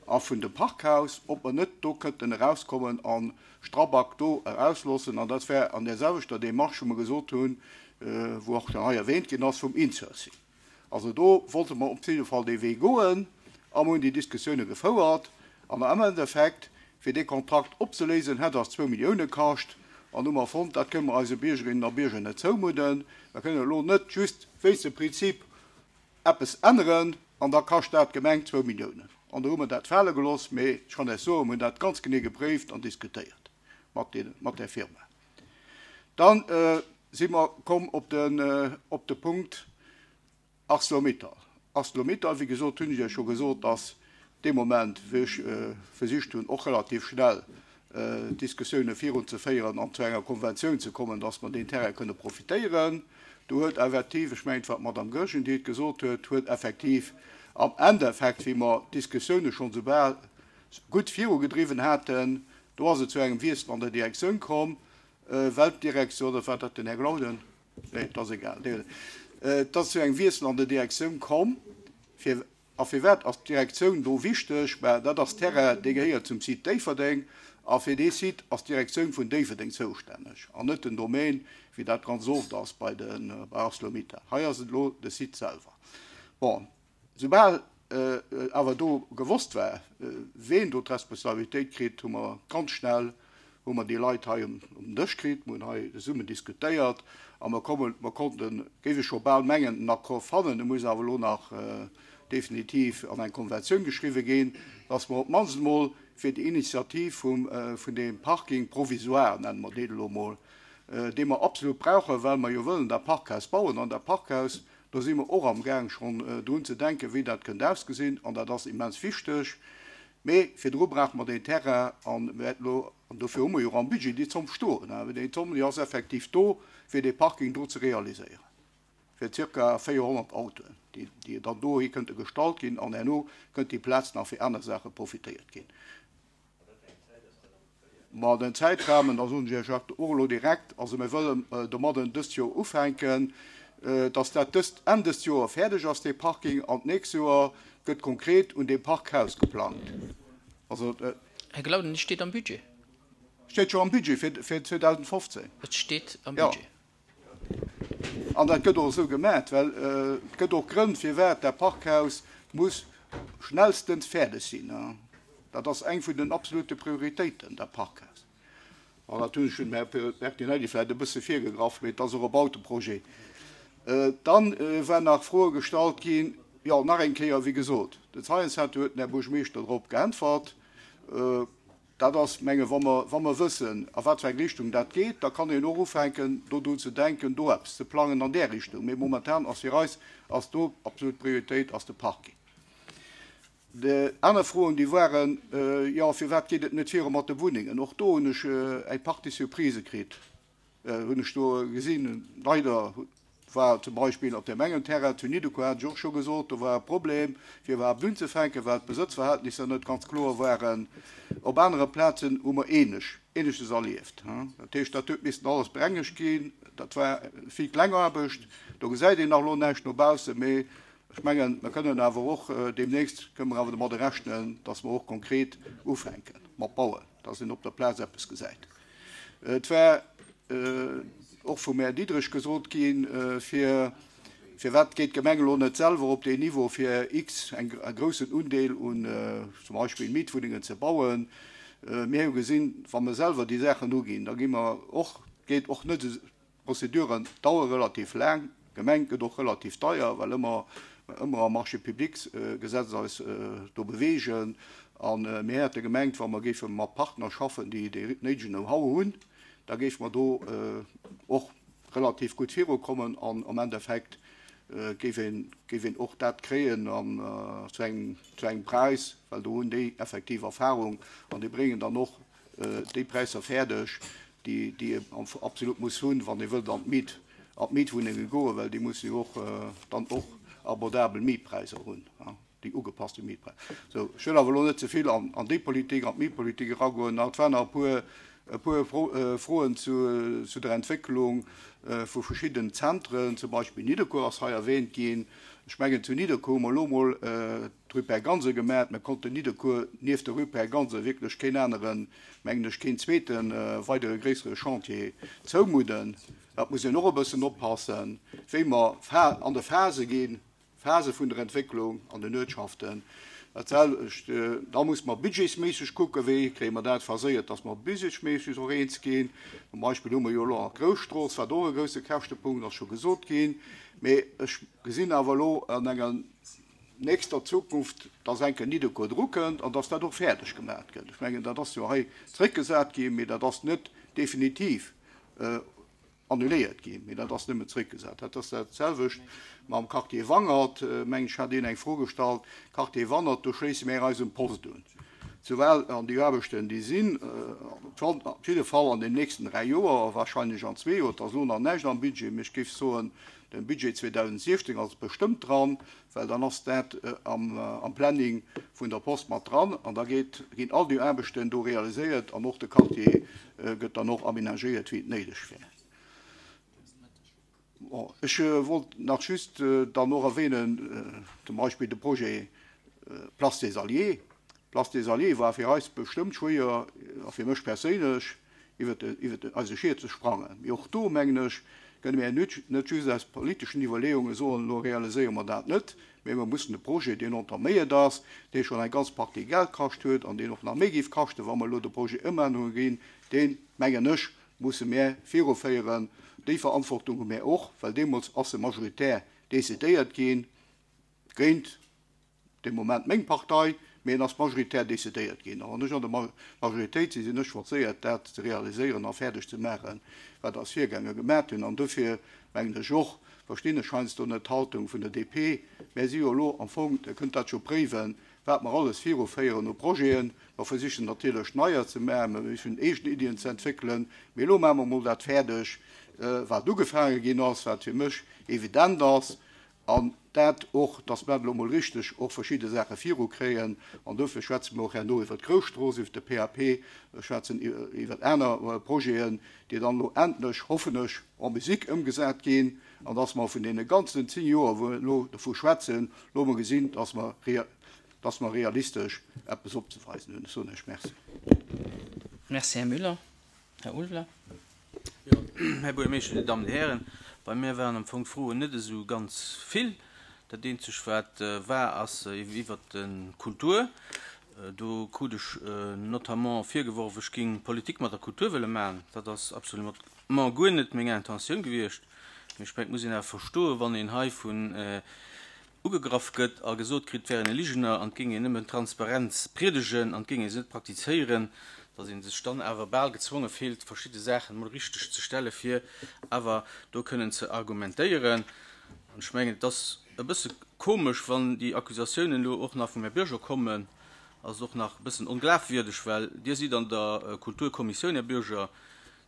a vun dem Parkhaus, ob mer net do kënnten erauskommen an Strabag do erausloossen. An dat wär an där selwechter Demarche, wou mer gesot hunn, wou och dann hei erwähnt ginn ass vum Insourcing. Also do wollte mer op jidde Fall dee Wee goen a mer hunn déi Diskussioune gefouert. An am Endeffekt, fir dee Kontrakt opzeléisen, hätt eis zwou Millioune kascht. An hu mer fonnt, dat kënne mer eise Biergerinnen a Bierger net zoumudden. Mer kënnen elo net just wéinst dem Prinzip eppes änneren an da kascht dat d'Gemeng zwou Milliounen. An do hu mer dat fale gelooss, mee ech kann Iech soen, mer hunn dat ganz genee gepréift an diskutéiert mat den, mat där Firma. Dann si mer komm op den, op de Punkt ArcelorMittal. ArcelorMittal, wéi gesot, hunn ech Iech scho gesot, dass dee Moment, wéi ech versicht hunn, och relativ schnell Diskussioune virunzeféieren an zu enger Konventioun ze kommen, dass mer deen Terrain kënne profitéieren. Do huet effektiv, ech mengen, et war d'Madame Goergen, déi et gesot huet, huet effektiv am Endeffekt, wéi mer d'Diskussioune schonn soubal gutt virugedriwwen haten, do ass et zu engem Wiessel an der Direktioun komm, well d'Direktioun, oder war dat den Här Glauden? Nee, et ass egal. Et ass zu engem Wiessel an der Direktioun komm. Fir, a firwat ass d'Direktioun do wichteg? Mä dat ass Terrain, dee gehéiert zum Site Déifferdeng, a fir dee Site ass d'Direktioun vun Déifferdeng zoustänneg an net den Domaine, wéi dat ganz oft ass bei den, bei ArcelorMittal. Hei ass et elo de Site selwer. Bon, soubal awer do gewosst war, ween do d'Responsabilitéit kritt, hu mer ganz schnell hu mer déi Leit hei um Dësch kritt, mer hunn hei zesummen diskutéiert a mer kommen, mer konnten, géif ech scho bal mengen, en Accord fannen, e muss awer elo nach definitiv an eng Konventioun geschriwwe ginn, dass mer op d'mannst emol fir déi Initiativ vum, vun deem Parking provisoire, nenne mer deen elo emol, dee mer absolut brauchen, well mer jo wëllen dat Parkhaus bauen. An dat Parkhaus, do si mer och amgaang schonn drun ze denken, wéi dat kënnt ausgesinn, an dat ass immens wichteg. Mee virdru brauche mer deen Terrain an mir wäerten elo, an dofir hu mer jo och am Budget déi Zomm stoen, déi Zomm, déi ass effektiv do, fir dee Parking do ze realiséieren, fir zirka véierhonnert Autoen, déi, déi dann dohi kënnte gestallt ginn an herno kënnt déi Plaz nach fir aner Saache profitéiert ginn. Ma den Zäitrahmen, da soen ech Iech och elo direkt, also mir wëllen domadden dëst Joer ufänken, dass dat dëst Enn dëst Joer fäerdeg ass, dee Parking, an d'nächst Joer gëtt konkret un deem Parkhaus geplangt. Also Här Glauden, et steet am Budget. Steet scho am Budget fir, fir zweedausendfofzéng. Et steet am Budget. An dat gëtt och esou gemaat, well et gëtt och Grënn, firwat dat Parkhaus muss schnellstens fäerdeg sinn. Dat ass eng vun den absolute Prioritéiten, dat Parkhaus. An dat hunn ech dem Här Bertinelli vläicht e bësse virgegraff, mee et ass och e Bauteprojet. Dann waren nach Froe gestallt ginn, jo, nach eng Kéier, wéi gesot, de Science Center huet den Här Buergermeeschter drop geäntwert. Dat ass, menge wa mer, wa mer wëssen, a wat fir eng Richtung dat geet, da kann een och ufänken, do drun ze denken, do eppes ze plangen an där Richtung. Mee momentan ass fir eis, ass do absolut Prioritéit ass de Parking. Déi aner Froen, déi waren, jo, firwat geet et net viru mat de Wunnengen? Och do hunn ech eng Partie Surprisë kritt, hunn ech do gesinn. Leider war zum Beispill op deem engen Terrain zu Nidderkuer, hat ech och scho gesot, do war e Problem, fir iwwerhaapt unzefänken, well d'Besëtzverhältnisser net ganz kloer waren. Op anere Plazen hu mer ähnlech, Ähnleches erlieft. Dat heescht, dat huet missen alles berengegt ginn. Dat war vill Klengaarbecht. Do gesäit een nach elo näischt no baussen, mee ech mengen, mer kënnen awer och deemnächst, kënnen mer awer domadder rechnen, dass mer och konkret ufänke mat bauen, dass een op der Plaz eppes gesäit. Et war och vum Här Diderich gesot ginn, fir, firwat geet d'Gemeng elo net selwer op deen Niveau, fir x eng, e groussen Undeel un zum Beispill Mietwunnengen ze bauen. Mir hu gesinn, wa mer selwer déi Saachen uginn, da gi mer och, geet och net esou, d'Prozeduren dauere relativ laang, d'Gemeng gëtt och relativ deier, well ëmmer, ëmmer am Marché-publics-Gesetz eis do beweegen. A mir hätte gemengt, wa mer géife mat Partner schaffen, déi dee néidegen Know-how hunn, da géife mer do och relativ gutt virukommen an am Endeffekt géif een, géif een och dat kréien an zu engem, zu engem Präis, well do hunn déi effektiv Erfahrung an déi bréngen dann och déi Präisser fäerdeg, déi, déi ee absolut muss hunn, wann ee wëllt an d'Miet, an d'Mietwunnenge goen, well déi musse jo och dann och abordabel Mietpräisser hunn. Déi ugepasste Mietpräisser. Sou, ech wëll awer elo net ze vill an, an déi Politik, an d'Mietpolitik eragoen. Et waren nach e puer, e puer Froen zu, zu der Entwécklung vu verschiddenen Zentren, zum Beispill Nidderkuer ass hei erwähnt ginn. Ech mengen, zu Nidderkuer hu mer elo emol d'Rue Père Gansen gemaach. Mir konnten Nidderkuer nieft der Rue Père Gansen wierklech keen aneren, mengen ech, keen zweete weidere gréissere Chantier zoumudden. Dat muss een och e bëssen oppassen, wéi mer an de Phase ginn. Phase vun der Entwécklung an den Uertschaften. Dat selwecht, da muss mer budgetsméisseg kucken, wéi kréie mer dat phaséiert, dass mer budgetsméisseg och eens ginn. Zum Beispill hu mer jo elo nach d'Grousstrooss, wat och e grousse Käschtepunkt ass, scho gesot ginn. Mee ech gesinn awer elo an enger nächster Zukunft, dass enke Nidderkuer drukënnt an dass dat och fäerdeg gemaach gëtt. Ech mengen, dat ass jo hei zréckgesat ginn, mee dat ass net definitiv annuléiert ginn, mee dat ass nëmmen zréckgesat. Dat ass dat selwecht mam Quartier Wangert, mengen ech, hat een eng Fro gestallt. Quartier Wangert, do schléisse mir eis um Post un. Souwel an déi Aarbechten, déi sinn, op jidde Fall an den nächsten dräi Joer, wahrscheinlech an zwee Joer, et ass elo nach näischt am Budget, mee ech géif soen, den Budget zweedausentsiechzehn ass bestëmmt dran, well dann ass dat am Planning vun der Post mat dran an da geet, ginn all déi Aarbechten do realiséiert an och de Quartier gëtt dann och aménagéiert, wéi et néideg wär. Bon, ech wollt nach just dann och erwähnen, zum Beispill de Projet Place des Alliés. Place des Alliés war fir eis bestëmmt schwéier, a fir mech perséinlech, iwwer iwwer eise Schied ze sprangen. Mee och do, mengen ech, kënne mir net, net just aus politeschen Iwwerleeunge soen, elo realiséiere mer dat net, mee mer mussen de Projet, deen entaméiert ass, dee schonn eng ganz Partie Geld kascht huet an deen och nach méi géif kaschten, wa mer elo de Projet ëmännere ginn, deen, mengen ech, musse mär viruféieren. Déi Verantwortung hu mär och, well deemools ass se majoritär decidéiert ginn, géint dee Moment meng Partei, mee en ass majoritär decidéiert ginn. A wann ech an der Majoritéit sinn, sinn ech forcéiert, dat ze realiséieren a fäerdeg ze maachen, wat eis Virgänger gemaat hunn. An dofir mengen ech och, verstinn ech heiansdo net d'Haltung vun der D P, mär si jo elo am Fong, Dir kënnt dat jo préiwen, wat mer alles viruféieren u Projeten. Mer versichen natierlech neier ze maachen, mer versichen eegen Iddien ze entwéckelen, mee elo maache mer emol dat fäerdeg, wat ugefaange ginn ass, wat fir mech evident ass, an dat och, dass mer elo emol richteg och verschidde Saache virukréien. An dofir schwätze mer och herno iwwert d'Grousstrooss, iwwert de P A P, schwätzen iwwert aner Projeten, déi dann elo endlech, hoffen ech, en musique ëmgesat ginn, an dass mer vun deene ganzen zéng Joer, wou mer elo dovu schwätzen, elo emol gesinn, dass mer dass mer realistesch eppes opzeweisen hunn. Ech soen Iech Merci. Merci, Här Müller. Här Ulveler. Jo, Här Buergermeeschter, Dir Dammen, Dir Hären, bei mir waren am Fong d'Froen net esou ganz vill. Dat eenzeg wat war, ass iwwert d'Kultur. Do krut ech notamment virgeworf, ech géing Politik mat der Kultur wëlle maachen. Dat ass absolument guer net meng Intentioun gewiescht. Mee ech mengen, et muss een awer verstoen, wann een hei vun ugegraff gëtt a gesot kritt, et wär een e Ligener an et géing een nëmmen Transparenz priedegen an et géing ee se net praktizéieren, datt ee sech dann awer bal gezwonge fillt, verschidde Saachen emol richteg ze stelle fir awer do kënnen ze argumentéieren. An ech mengen, et ass e bësse komesch, wann déi Accusatiounen elo och nach vum Här Bürger kommen, ass et och nach e bëssen onglafwierdeg, well Dir sidd an der Kulturkommissioun, Här Bürger,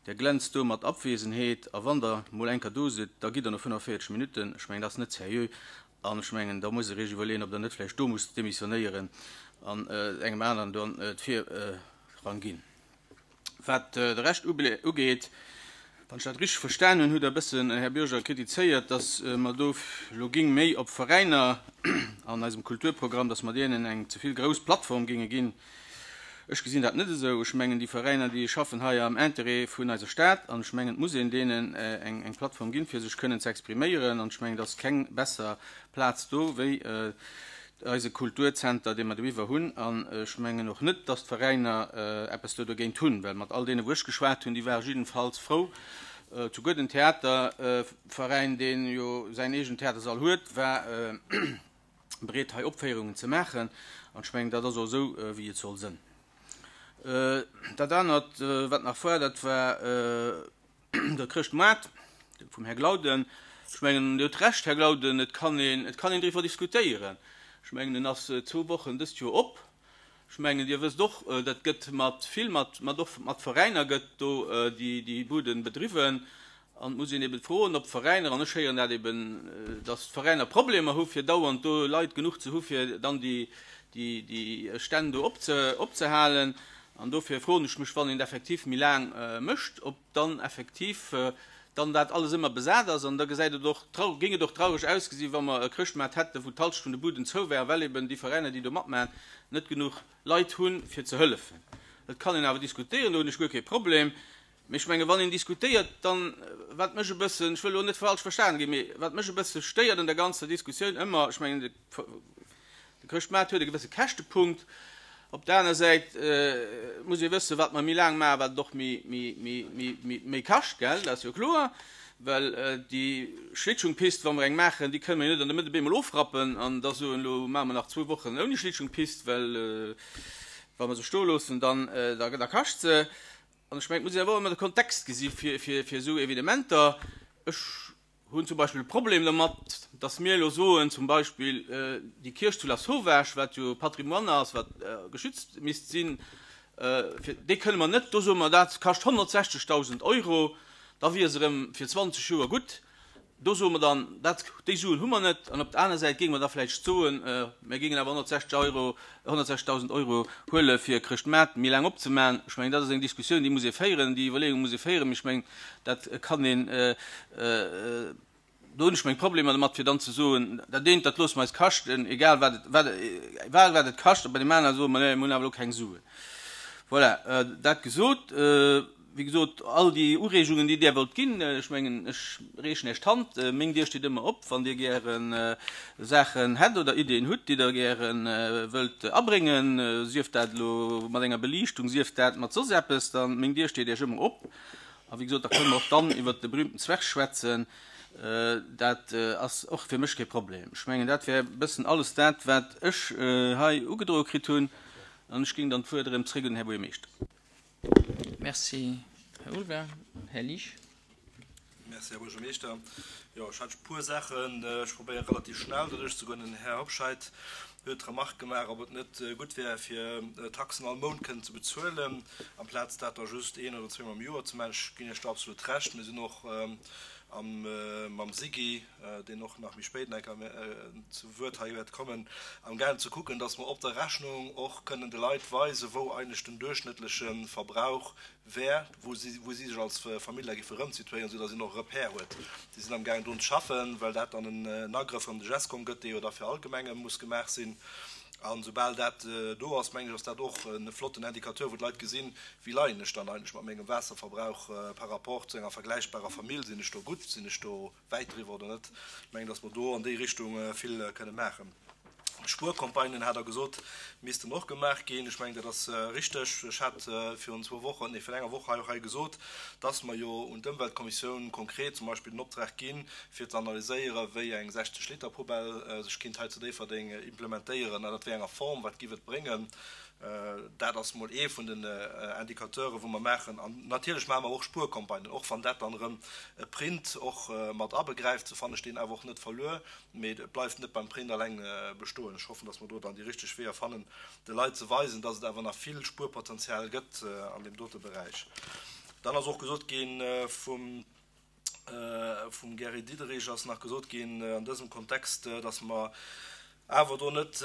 Der glänzt do mat Abwesenheet, a wann Der mol eng Kéier do sidd, da gitt Der no fënnefenvéierzeg Minutten. Ech mengen, dat ass net seriö. An ech mengen, da muss Der Iech iwwerleeën, ob Der net vläicht do musst demissionéieren an engem aneren dann d'Virrang ginn. Wat de Rescht ugeet, wann ech dat richteg verstan hunn, hutt Der e bëssen, Här Bürger, kritizéiert, dass mer do elo géing méi op Veräiner an eisem Kulturprogramm, dass mer deenen eng ze vill grouss Plattform géinge ginn. Ech gesinn dat net esou. Ech mengen, déi Veräiner, déi schaffen hei am Interêt vun eiser Stad an ech mengen, et muss een deenen eng Plattform ginn, fir sech kënnen ze expriméieren. An ech mengen, et ass keng besser Plaz do wéi eise Kulturzenter, dee mer doiwwer hunn. An ech mengen och net, dass d'Veräiner eppes do dogéint hunn, well mat all deene, wou ech geschwat hunn, déi ware jiddenfalls frou. Souguer den Theaterveräin, dee jo säin eegenen Theatersall huet, war bereet, hei Opféierungen ze maachen. An ech mengen, dat ass och esou, wéi et soll sënn. Dat anert, wat nach war, dat war de Chrëschtmoart vum Här Glauden. Ech mengen, Dir hutt Recht, Här Glauden, et kann een, et kann een driwwer diskutéieren. Ech mengen, en ass zwou Wochen dëst Joer op. Ech mengen, Dir wësst och, dat gëtt mat vill, mat, mat och mat Veräiner gëtt do déi, déi Buden bedriwwen. An et muss een eben froen, ob d'Veräiner, an ech héieren dat eben, dass d'Veräiner Problemer hu fir dauernd do Leit genuch ze hu fir dann déi, déi, déi Stänn do opze, opzehalen. An dofir froen ech mech, wann een et effektiv méi laang mécht, ob dann effektiv dann dat alles ëmmer besat ass. An da gesäit et och trau, géing et och traureg ausgesi wa mer e Chrëschtmaart hätten, wou d'Halschent vun de Buden zou wär, well eben déi Veräiner, déi do matmaachen, net genuch Leit hunn, fir ze hëllefen. Dat kann een awer diskutéieren, do hunn ech guer kee Problem. Mee ech menge wann een diskutéiert, dann, wat mech e bëssen, ech wëll elo net falsch verstanen ginn, mee wat mech e bësse stéiert an der ganzer Diskussioun ëmmer, ech mengen de de Chrëschtmaart huet e gewësse Käschtepunkt, op der aner Säit muss ee wëssen, wat mer méi laang maachen, wat et och méi, méi, méi, méi, méi, méi kascht, gell, dat ass jo kloer, well déi Schlittschungpist, wa mer eng maachen, déi kënne mer jo net an der Mëtt op eemol ofrappen an da soen, elo maache mer nach zwou Wochen ouni Schlittschungpist, well wa mer se stoe loossen, dann, da, da kascht se. An ech mengen, et muss een awer och ëmmer de Kontext gesi fir, fir, fir esou Evenementer. Ech hunn zum Beispill e Problem domat, dass mir elo soen, zum Beispill déi Kierch zu Lasauvage, wat jo Patrimoine ass, wat geschützt misst sinn, fir déi kënne mer net, do soe mer, dat kascht honnertsechzegdausend Euro, da wier se erëm fir zwanzeg Joer gutt. Do soe mer dann, dat, déi Suen hu mer net. An op der aner Säit géinge mer da vläicht soen, mir géingen awer honnertsechzeg Euro, honnertsechzegdausend Euro huele fir Chrëschtmaart méi laang opzemaachen. Ech mengen, dat ass eng Diskussioun, déi muss ee féieren, déi Iwwerleeung muss ee féieren. Mee ech mengen, dat kann een, do hunn ech meng Problemer domat, fir dann ze soen, dat eent, dat loosse mer eis kaschten, egal wat et, wat, egal wat et kascht, a bei deem anere soe mer, nee, mir hunn awer elo keng Suen. Voilà, dat gesot. Wéi gesot, all déi Ureegungen, déi Dir wollt ginn, ech mengen, ech reechen Iech d'Hand, meng Dier steet ëmmer op, wann Dir gäre Saachen hätt oder Ideeën hutt, déi Der gäre wëllt abréngen, sief dat elo mat enger Beliichtung, sief dat mat soss eppes, dann, meng Dier steet Iech ëmmer op. A wéi gesot, da kënne mer och dann iwwert de berühmten Zwerg schwätzen. Dat ass och fir mech kee Problem. Ech mengen, dat wär e bëssen alles dat, wat ech hei ugedroe kritt hunn. An ech géing dann d'Wuert erëm zréck un den Här Buergermeeschter. Merci, Här Ulver. Här Liesch. Merci, Här Buergermeeschter. Jo, ech hat e puer Saachen. Ech probéiere relativ schnell doduerch ze goen. Den Här Hobscheit huet d'Remark gemaach, ob et net gutt wär, fir Taxen all Mount kënnen ze bezuelen, amplaz dat da just een oder zweemol am Joer ze maachen. Ech ginn Iech do absolut Recht. Mir sinn och am mam SIGI, deen och nach méi spéit nach eng Kéier zu Wuert hei wäert kommen, amgaangen ze kucken, dass mer op der Rechnung och kënnen de Leit weisen, wou eigentlech den duerchschnëttleche Verbrauch wär, wou si, wou si sech als Famill da géife erëmsituéieren, soudass een och e Repère huet. Si sinn amgaangen drun ze schaffen, well dat dann en Agrëff an de Gescom gëtt, dee jo da fir all Gemenge muss gemaach sinn. An soubal dat do ass, mengen ech, ass dat och e flotten Indicateur, wou d'Leit gesinn, wéi leien ech dann eigentlech mat mengem Waasserverbrauch par rapport zu enger vergläichbarer Famill, sinn ech do gutt, sinn ech do wäit driwwer oder net. Ech mengen, datt mer do an déi Richtung vill kënne maachen. Spuercampagnen, hat Der gesot, missten och gemaach ginn. Ech mengen, dat ass richteg. Ech hat virun zwou Wochen, nee, virun enger Woch hei och hei gesot, dass mer jo un d'Ëmweltkommissioun konkret zum Beispill den Optrag ginn, fir ze analyséieren, wéi eng sechzeg-Liter-Poubelle sech kinnt hei zu Déifferdeng implementéieren, an dat wéi enger Form, wat giff et bréngen. Dat ass mol ee vun den Indicateuren, wou mer maachen. An natierlech maache mer och Spuercampagnen, och wann dat dann erëm e Print och mat abegräift, sou fannen ech deen awer och net verluer. Mee et bleift net beim Print alleng bestoen. Ech hoffen, dass mer do dann déi richteg Weeër fannen, de Leit ze weisen, dass et awer nach vill Spuerpotenzial gëtt an deem dote Beräich. Dann ass och gesot gi vum vum Gary Diderich ass nach gesot ginn an dësem Kontext, dass mer awer do net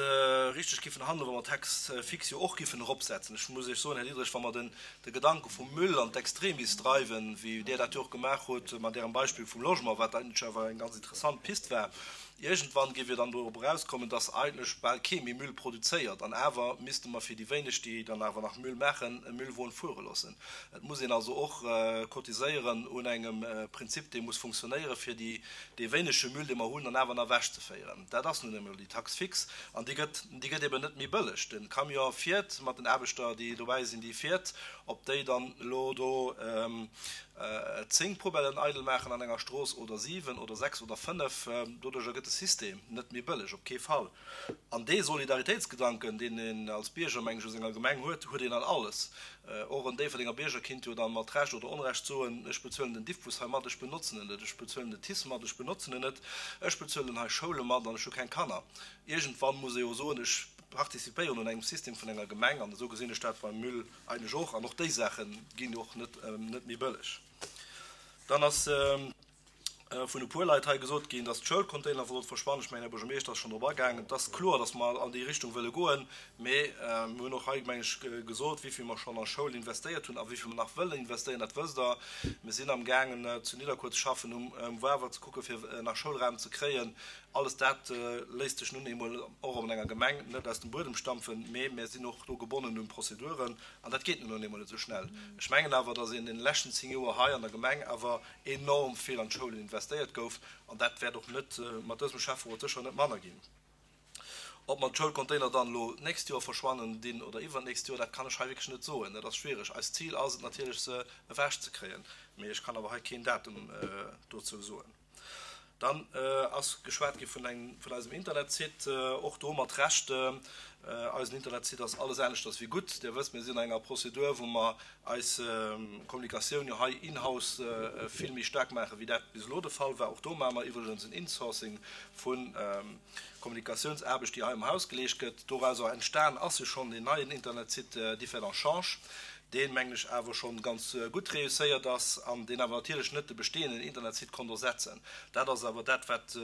richteg giffen handelen, wa mer d'Taxe fixe jo och giffen eropsetzen. Ech muss Iech soen, Här Diderich, wa mer den de Gedanke vum Müll an d'Extremis dreiwen, wéi Dir dat jo och gemaach hutt mat Ärem Beispill vum Logement, wat eigentlech awer eng ganz interessant Pist war, iergendwann géif jo dann dorop erauskommen, dass eigentlech bal kee méi Müll produzéiert an awer misste mer fir déi wéineg, déi dann awer nach Müll maachen, e Müllwon fuere loossen. Et muss een also och cotiséieren un engem Prinzip, dee muss funktionéieren, fir déi, dee wéinege Müll, dee mer hunn, dann awer nach ewechzeféieren. Dat ass nun emol déi Taxe fixe an déi gëtt, déi gëtt eben net méi bëlleg. De Camion fiert mat den Aarbechter, déi dobäi sinn, déi fiert. Ob déi dann elo do zéng Poubellen eidel maachen an enger Strooss oder siwen oder sechs oder fënnef, doduercher gëtt de System net méi bëlleg, op kee Fall. An dee Solidaritéitsgedanken, deen een als Bierger, meng ech, u senger Gemeng huet, huet een an alles. Och en Déifferdenger Bierger kinnt jo dann mat Recht oder Onrecht soen, ech bezuelen den Diffbus hei mat, ech benotzen en net, ech bezuelen den TICE mat, ech benotzen en net, ech bezuelen hei Schoule mat an ech hu keng Kanner. Iergendwann muss ee jo soen, ech participéieren un engem System vun enger Gemeng an esou gesinn ech dat beim Müll eigentlech och. An och déi Saache ginn och net net méi bëlleg. Dann ass vun e puer Leit hei gesot ginn, dass d'Schoulcontainer sollt verschwannen. Ech mengen, Här Buergermeeschter ass schonn drop agaangen. Et ass kloer, dass mer an déi Richtung wëlle goen, mee mir hunn och hei, meng ech, gesot, wéi vill mer schonn a Schoul investéiert hunn a wéi vill mer nach wëllen investéieren. Dat wësst Der. Mir sinn amgaangen, zu Nidderkuer ze schaffen, um Wawer ze kucken, fir nach Schoulraum ze kréien. Alles dat léisst sech nun eemol och an enger Gemeng net aus dem Buedem stampfen, mee mir sinn och do gebonnen un Prozeduren an dat geet nun eemol net esou schnell. Ech mengen awer, dass een den leschten zéng Joer hei an der Gemeng awer enorm vill an d'Schoulen investéiert gouf an dat wäert och net mat dësem Schäfferot sécher net manner ginn. Ob mer d'Schoulcontainer dann elo d'nächst Joer verschwannen dinn oder iwwernächst Joer, dat kann ech hei wierklech net soen. Dat ass schwiereg. Eist Zil ass et natierlech, se ewechzekréien, mee ech kann awer hei keen Datum dozou soen. Dann ass geschwat gi vun engem, vun eisem Internetsite, och do mat Recht. Eisen Internetsite ass alles aneschters wéi gutt. Dir wësst, mir sinn an enger Prozedur, wou mer eis Kommunikatioun jo hei in-house vill méi staark maachen, wéi dat bis elo de Fall war. Och do maache mer iwwregens en Insourcing vu Kommunikatiounsaarbecht, déi hei am Haus geleescht gëtt. Dorauser entstan ass jo schonn deen neien Internetsite Differdange Change. deen, mengen ech, awer schonn ganz gutt réusséiert ass an deen awer natierlech net de bestehenden Internetsite konnt ersetzen. Dat ass awer dat, wat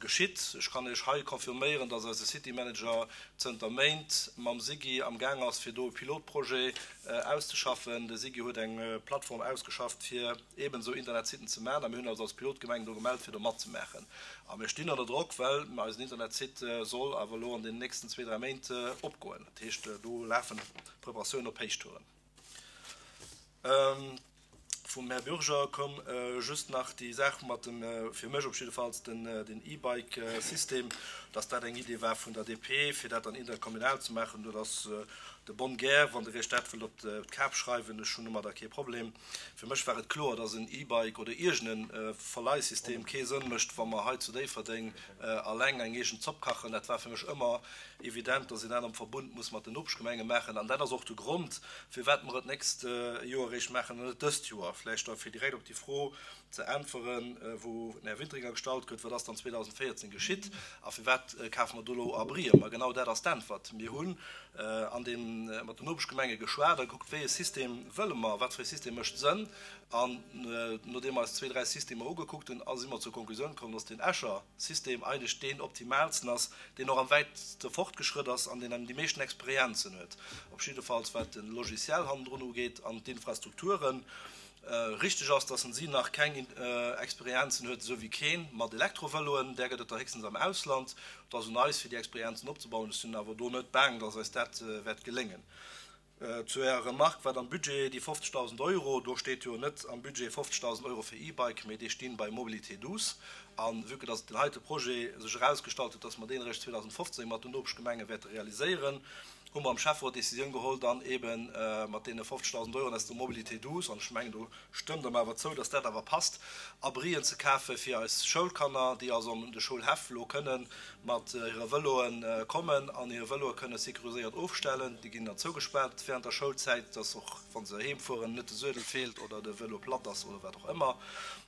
geschitt. Ech kann Iech hei confirméieren, dass eise City Manager zënter Méint mam SIGI amgaang ass, fir do e Pilotprojet auszeschaffen. De SIGI huet eng Plattform ausgeschafft, fir eeben esou Internetsiten ze maachen, a mir hunn eis als Pilotgemeng do gemellt, fir do matzemaachen. A mir stinn ënner Drock, well eisen Internetsite soll awer elo an den nächsten zwee, dräi Méint opgoen. Dat heescht, do lafen d'Preparatiounen op Héichtouren. Vum Här Bürger koum just nach déi Saach mat dem, fir mech op jiddefalls, den E-Bike-System, dass dat eng Idee war vun der D P, fir dat dann interkommunal ze maachen. Dat ass de bonne guerre, wann Der Iech dat wëllt op d'Kap schreiwen, ech hunn domadder kee Problem. Fir mech war et kloer, dass en E-Bike oder iergend e Verleihsystem kee Sënn mécht, wa mer hei zu Déifferdeng alleng eng eegen Zopp kachen. Dat war fir mech ëmmer evident, dass een dat am Verbund muss mat den Nopeschgemenge maachen. An dat ass och de Grond, firwat mer et d'nächst Joer eréischt maachen an net dëst Joer. Vläicht da fir direkt op déi Fro ze äntweren, wou den Här Wintringer gestallt huet, Wat ass dann zweedausendvéierzéng geschitt a firwat kafe mer do elo Abrien? Ma genau dat ass d'Äntwert. Mir hunn an deem mat den Nopeschgemenge geschwat a gekuckt, wéi e System wëlle mer, wat fir e System mécht Sënn. An nodeem mer eis zwee, dräi Systemer ugekuckt hunn, si mer zur Konklusioun komm, dass deen Escher System eigentlech deen optimaalsten ass, deen och am wäitste fortgeschrëtt ass an deen déi meeschten Experienzen huet, op jiddefalls wat de Logiciel hannendrun ugeet an d'Infrastrukturen. Richteg ass, dass en si nach keng Experienzen huet, esou wéi keen mat Elektrovëloen, där gëtt et der héchstens am Ausland. Et ass un eis, fir déi Experienzen opzebauen. Ech sinn awer do net baang, dass eis dat wäert geléngen. Zu Ärer Remark, wat am Budget, déi fofzegdausend Euro, do steet jo net am Budget fofzegdausend Euro fir E-Bike, mee déi stinn bei Mobilité douce. A vue que dass deen heite Projet sech erausgestallt huet, dass mer deen eréischt zweedausendfofzéng mat den Nopeschgemenge wäerte realiséieren, hu mer am Schäfferot d'Décisioun geholl, dann eebe mat deene fofzegdausend Euroen aus der Mobilité douce, an ech mengen, do stëmmt Der mer awer zou, dass dat awer passt, Abrien ze kafe fir eis Schoulkanner, déi also an de Schoulhäff elo kënnen mat hire Vëloe kommen an hir Vëloe kënne sécuriséiert ofstellen. Déi ginn dann zougespaart während der Schoulzäit, dass och, wa se heem fueren, net de Suedel feelt oder de Vëlo platt ass oder wat och ëmmer,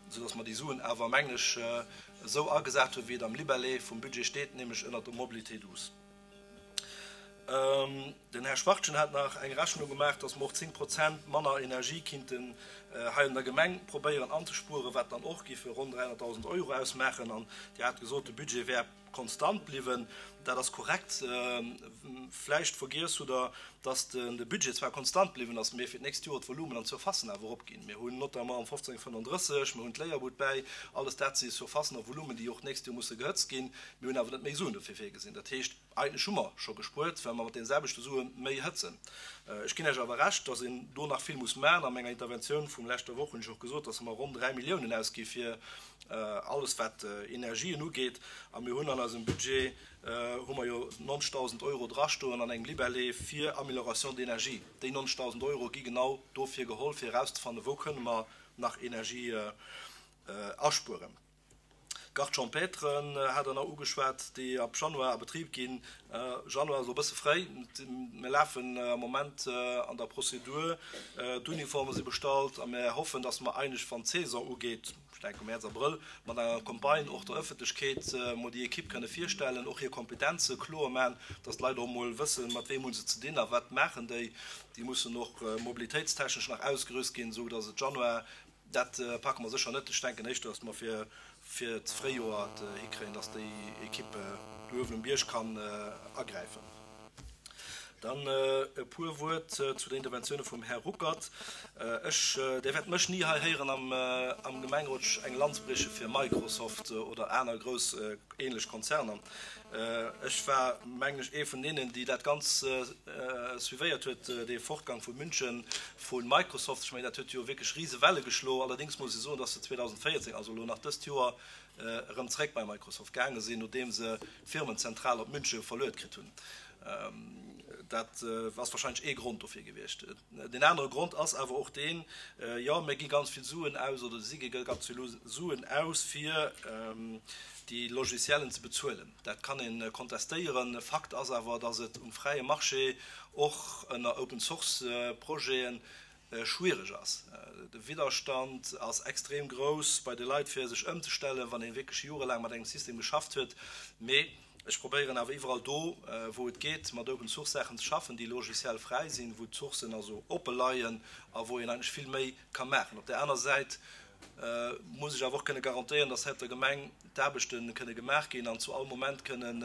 soudass mer déi Suen awer, mengen ech, esou agesat hunn, wéi et am Libellé vum Budget steet, nämlech ënnert der Mobilité douce. Den Här Schwachtgen hat nach eng Rechnung gemaach, dass mer och zéng Prozent manner Energie kinnten hei an der Gemeng probéieren anzespueren, wat dann och géife ronn dräihonnertdausend Euro ausmaachen. An Dir hat gesot, de Budget wär konstant bliwwen. Dat ass korrekt. Vläicht vergiess hutt Der, dass de Budget zwar konstant bliwwen ass, mee fir d'nächst Joer d'Volumen an d'Surfacen awer eropginn. Mir hunn notamment am fofzéng fënnenddrësseg, mir hunn d'Léierbud bäi, alles dat si Surfacen a Volumen, déi och d'nächst Joer musse gehëtzt ginn. Mir hunn awer net méi Suen dofir virgesinn. Dat heescht, eigentlech hu mer scho gespuert, well mer mat deene selwechte Sue méi hëtzen. Ech ginn Iech awer Recht, dass een do nach vill muss maachen. A menger Interventioun vum leschter Woch hunn ech och gesot, dass mer ronn dräi Milliounen ausgi fir alles, wat Energien ugeet. A mir hunn an eisem Budget hu mer jo neunzigtausend Euro drastoen an engem Libellé fir Amélioration d'énergie. Déi neunzigtausend Euro gi genau dofir geholl, fir erauszefannen, wou kënne mer nach Energie aspueren. D'Garde champêtre hat Der nach ugeschwat, déi ab Januar a Betrib ginn. Januar ass elo e bësse fréi. Mir lafen am Moment an der Prozedur. D'Uniforme si bestallt a mir hoffen, dass mer eigentlech, wann d'Saison ugeet, ech denke Mäerz, Abrëll, mat enger Campagne och der Ëffentlechkeet mol déi Ekipp kënne virstellen, och hir Kompetenze kloer maachen, dass d'Leit och mol wëssen, mat weem hu se ze dinn a wat maachen déi. Déi mussen och mobilitéitstechnesch nach ausgerüst ginn, esou dass et Januar Dat packe mer sécher net. Ech denken éischter, datt mer fir fir d'Fréijoer et hikréien, datt déi Ekipp do uewen um Bierg kann agräifen. Dann e puer Wuert zu der Interventioune vum Här Ruckert. Ech, Dir wäert mech ni hei héieren am am Gemengerot eng Lanz brieche fir Microsoft oder aner grouss ähnlech Konzerner. Ech war, mengen ech, ee vun deenen, déi dat ganz suivéiert huet, dee Fortgang vu München vu Microsoft. Ech mengen, dat huet jo wierklech rise Welle geschlo. Allerdéngs muss ee soen, dass se zweedausendvéierzéng, also elo nach dëst Joer, erëm zréck bei Microsoft gaange sinn, nodeem se d'Firmenzentral op Münche verluet kritt hunn. Dat ass wahrscheinlech ee Grond dofir gewiescht. Deen anere Grond ass awer och deen, jo, mir gi ganz vill Suen aus oder si gi ganz vill Suen aus, fir déi Logiciellen ze bezuelen. Dat kann ee kontestéieren. Fakt ass awer, datt et um fräie Marché och ënner Open-Source-Projeten schwiereg ass. De Widderstand ass extrem grouss bei de Leit, fir sech ëmzestellen, wann ee wierklech jorelaang mat engem System geschafft huet. Mee ech probéieren awer iwwerall do, wou et geet, mat Open Source Saachen ze schaffen, déi logiciell fräi sinn, wou d'Sourcen also oppe leien a wou een eigentlech vill méi ka maachen. Op där aner Säit muss ech awer och kënne garantéieren, dass hei op der Gemeng d'Aarbechte kënne gemaach ginn an zu all Moment kënnen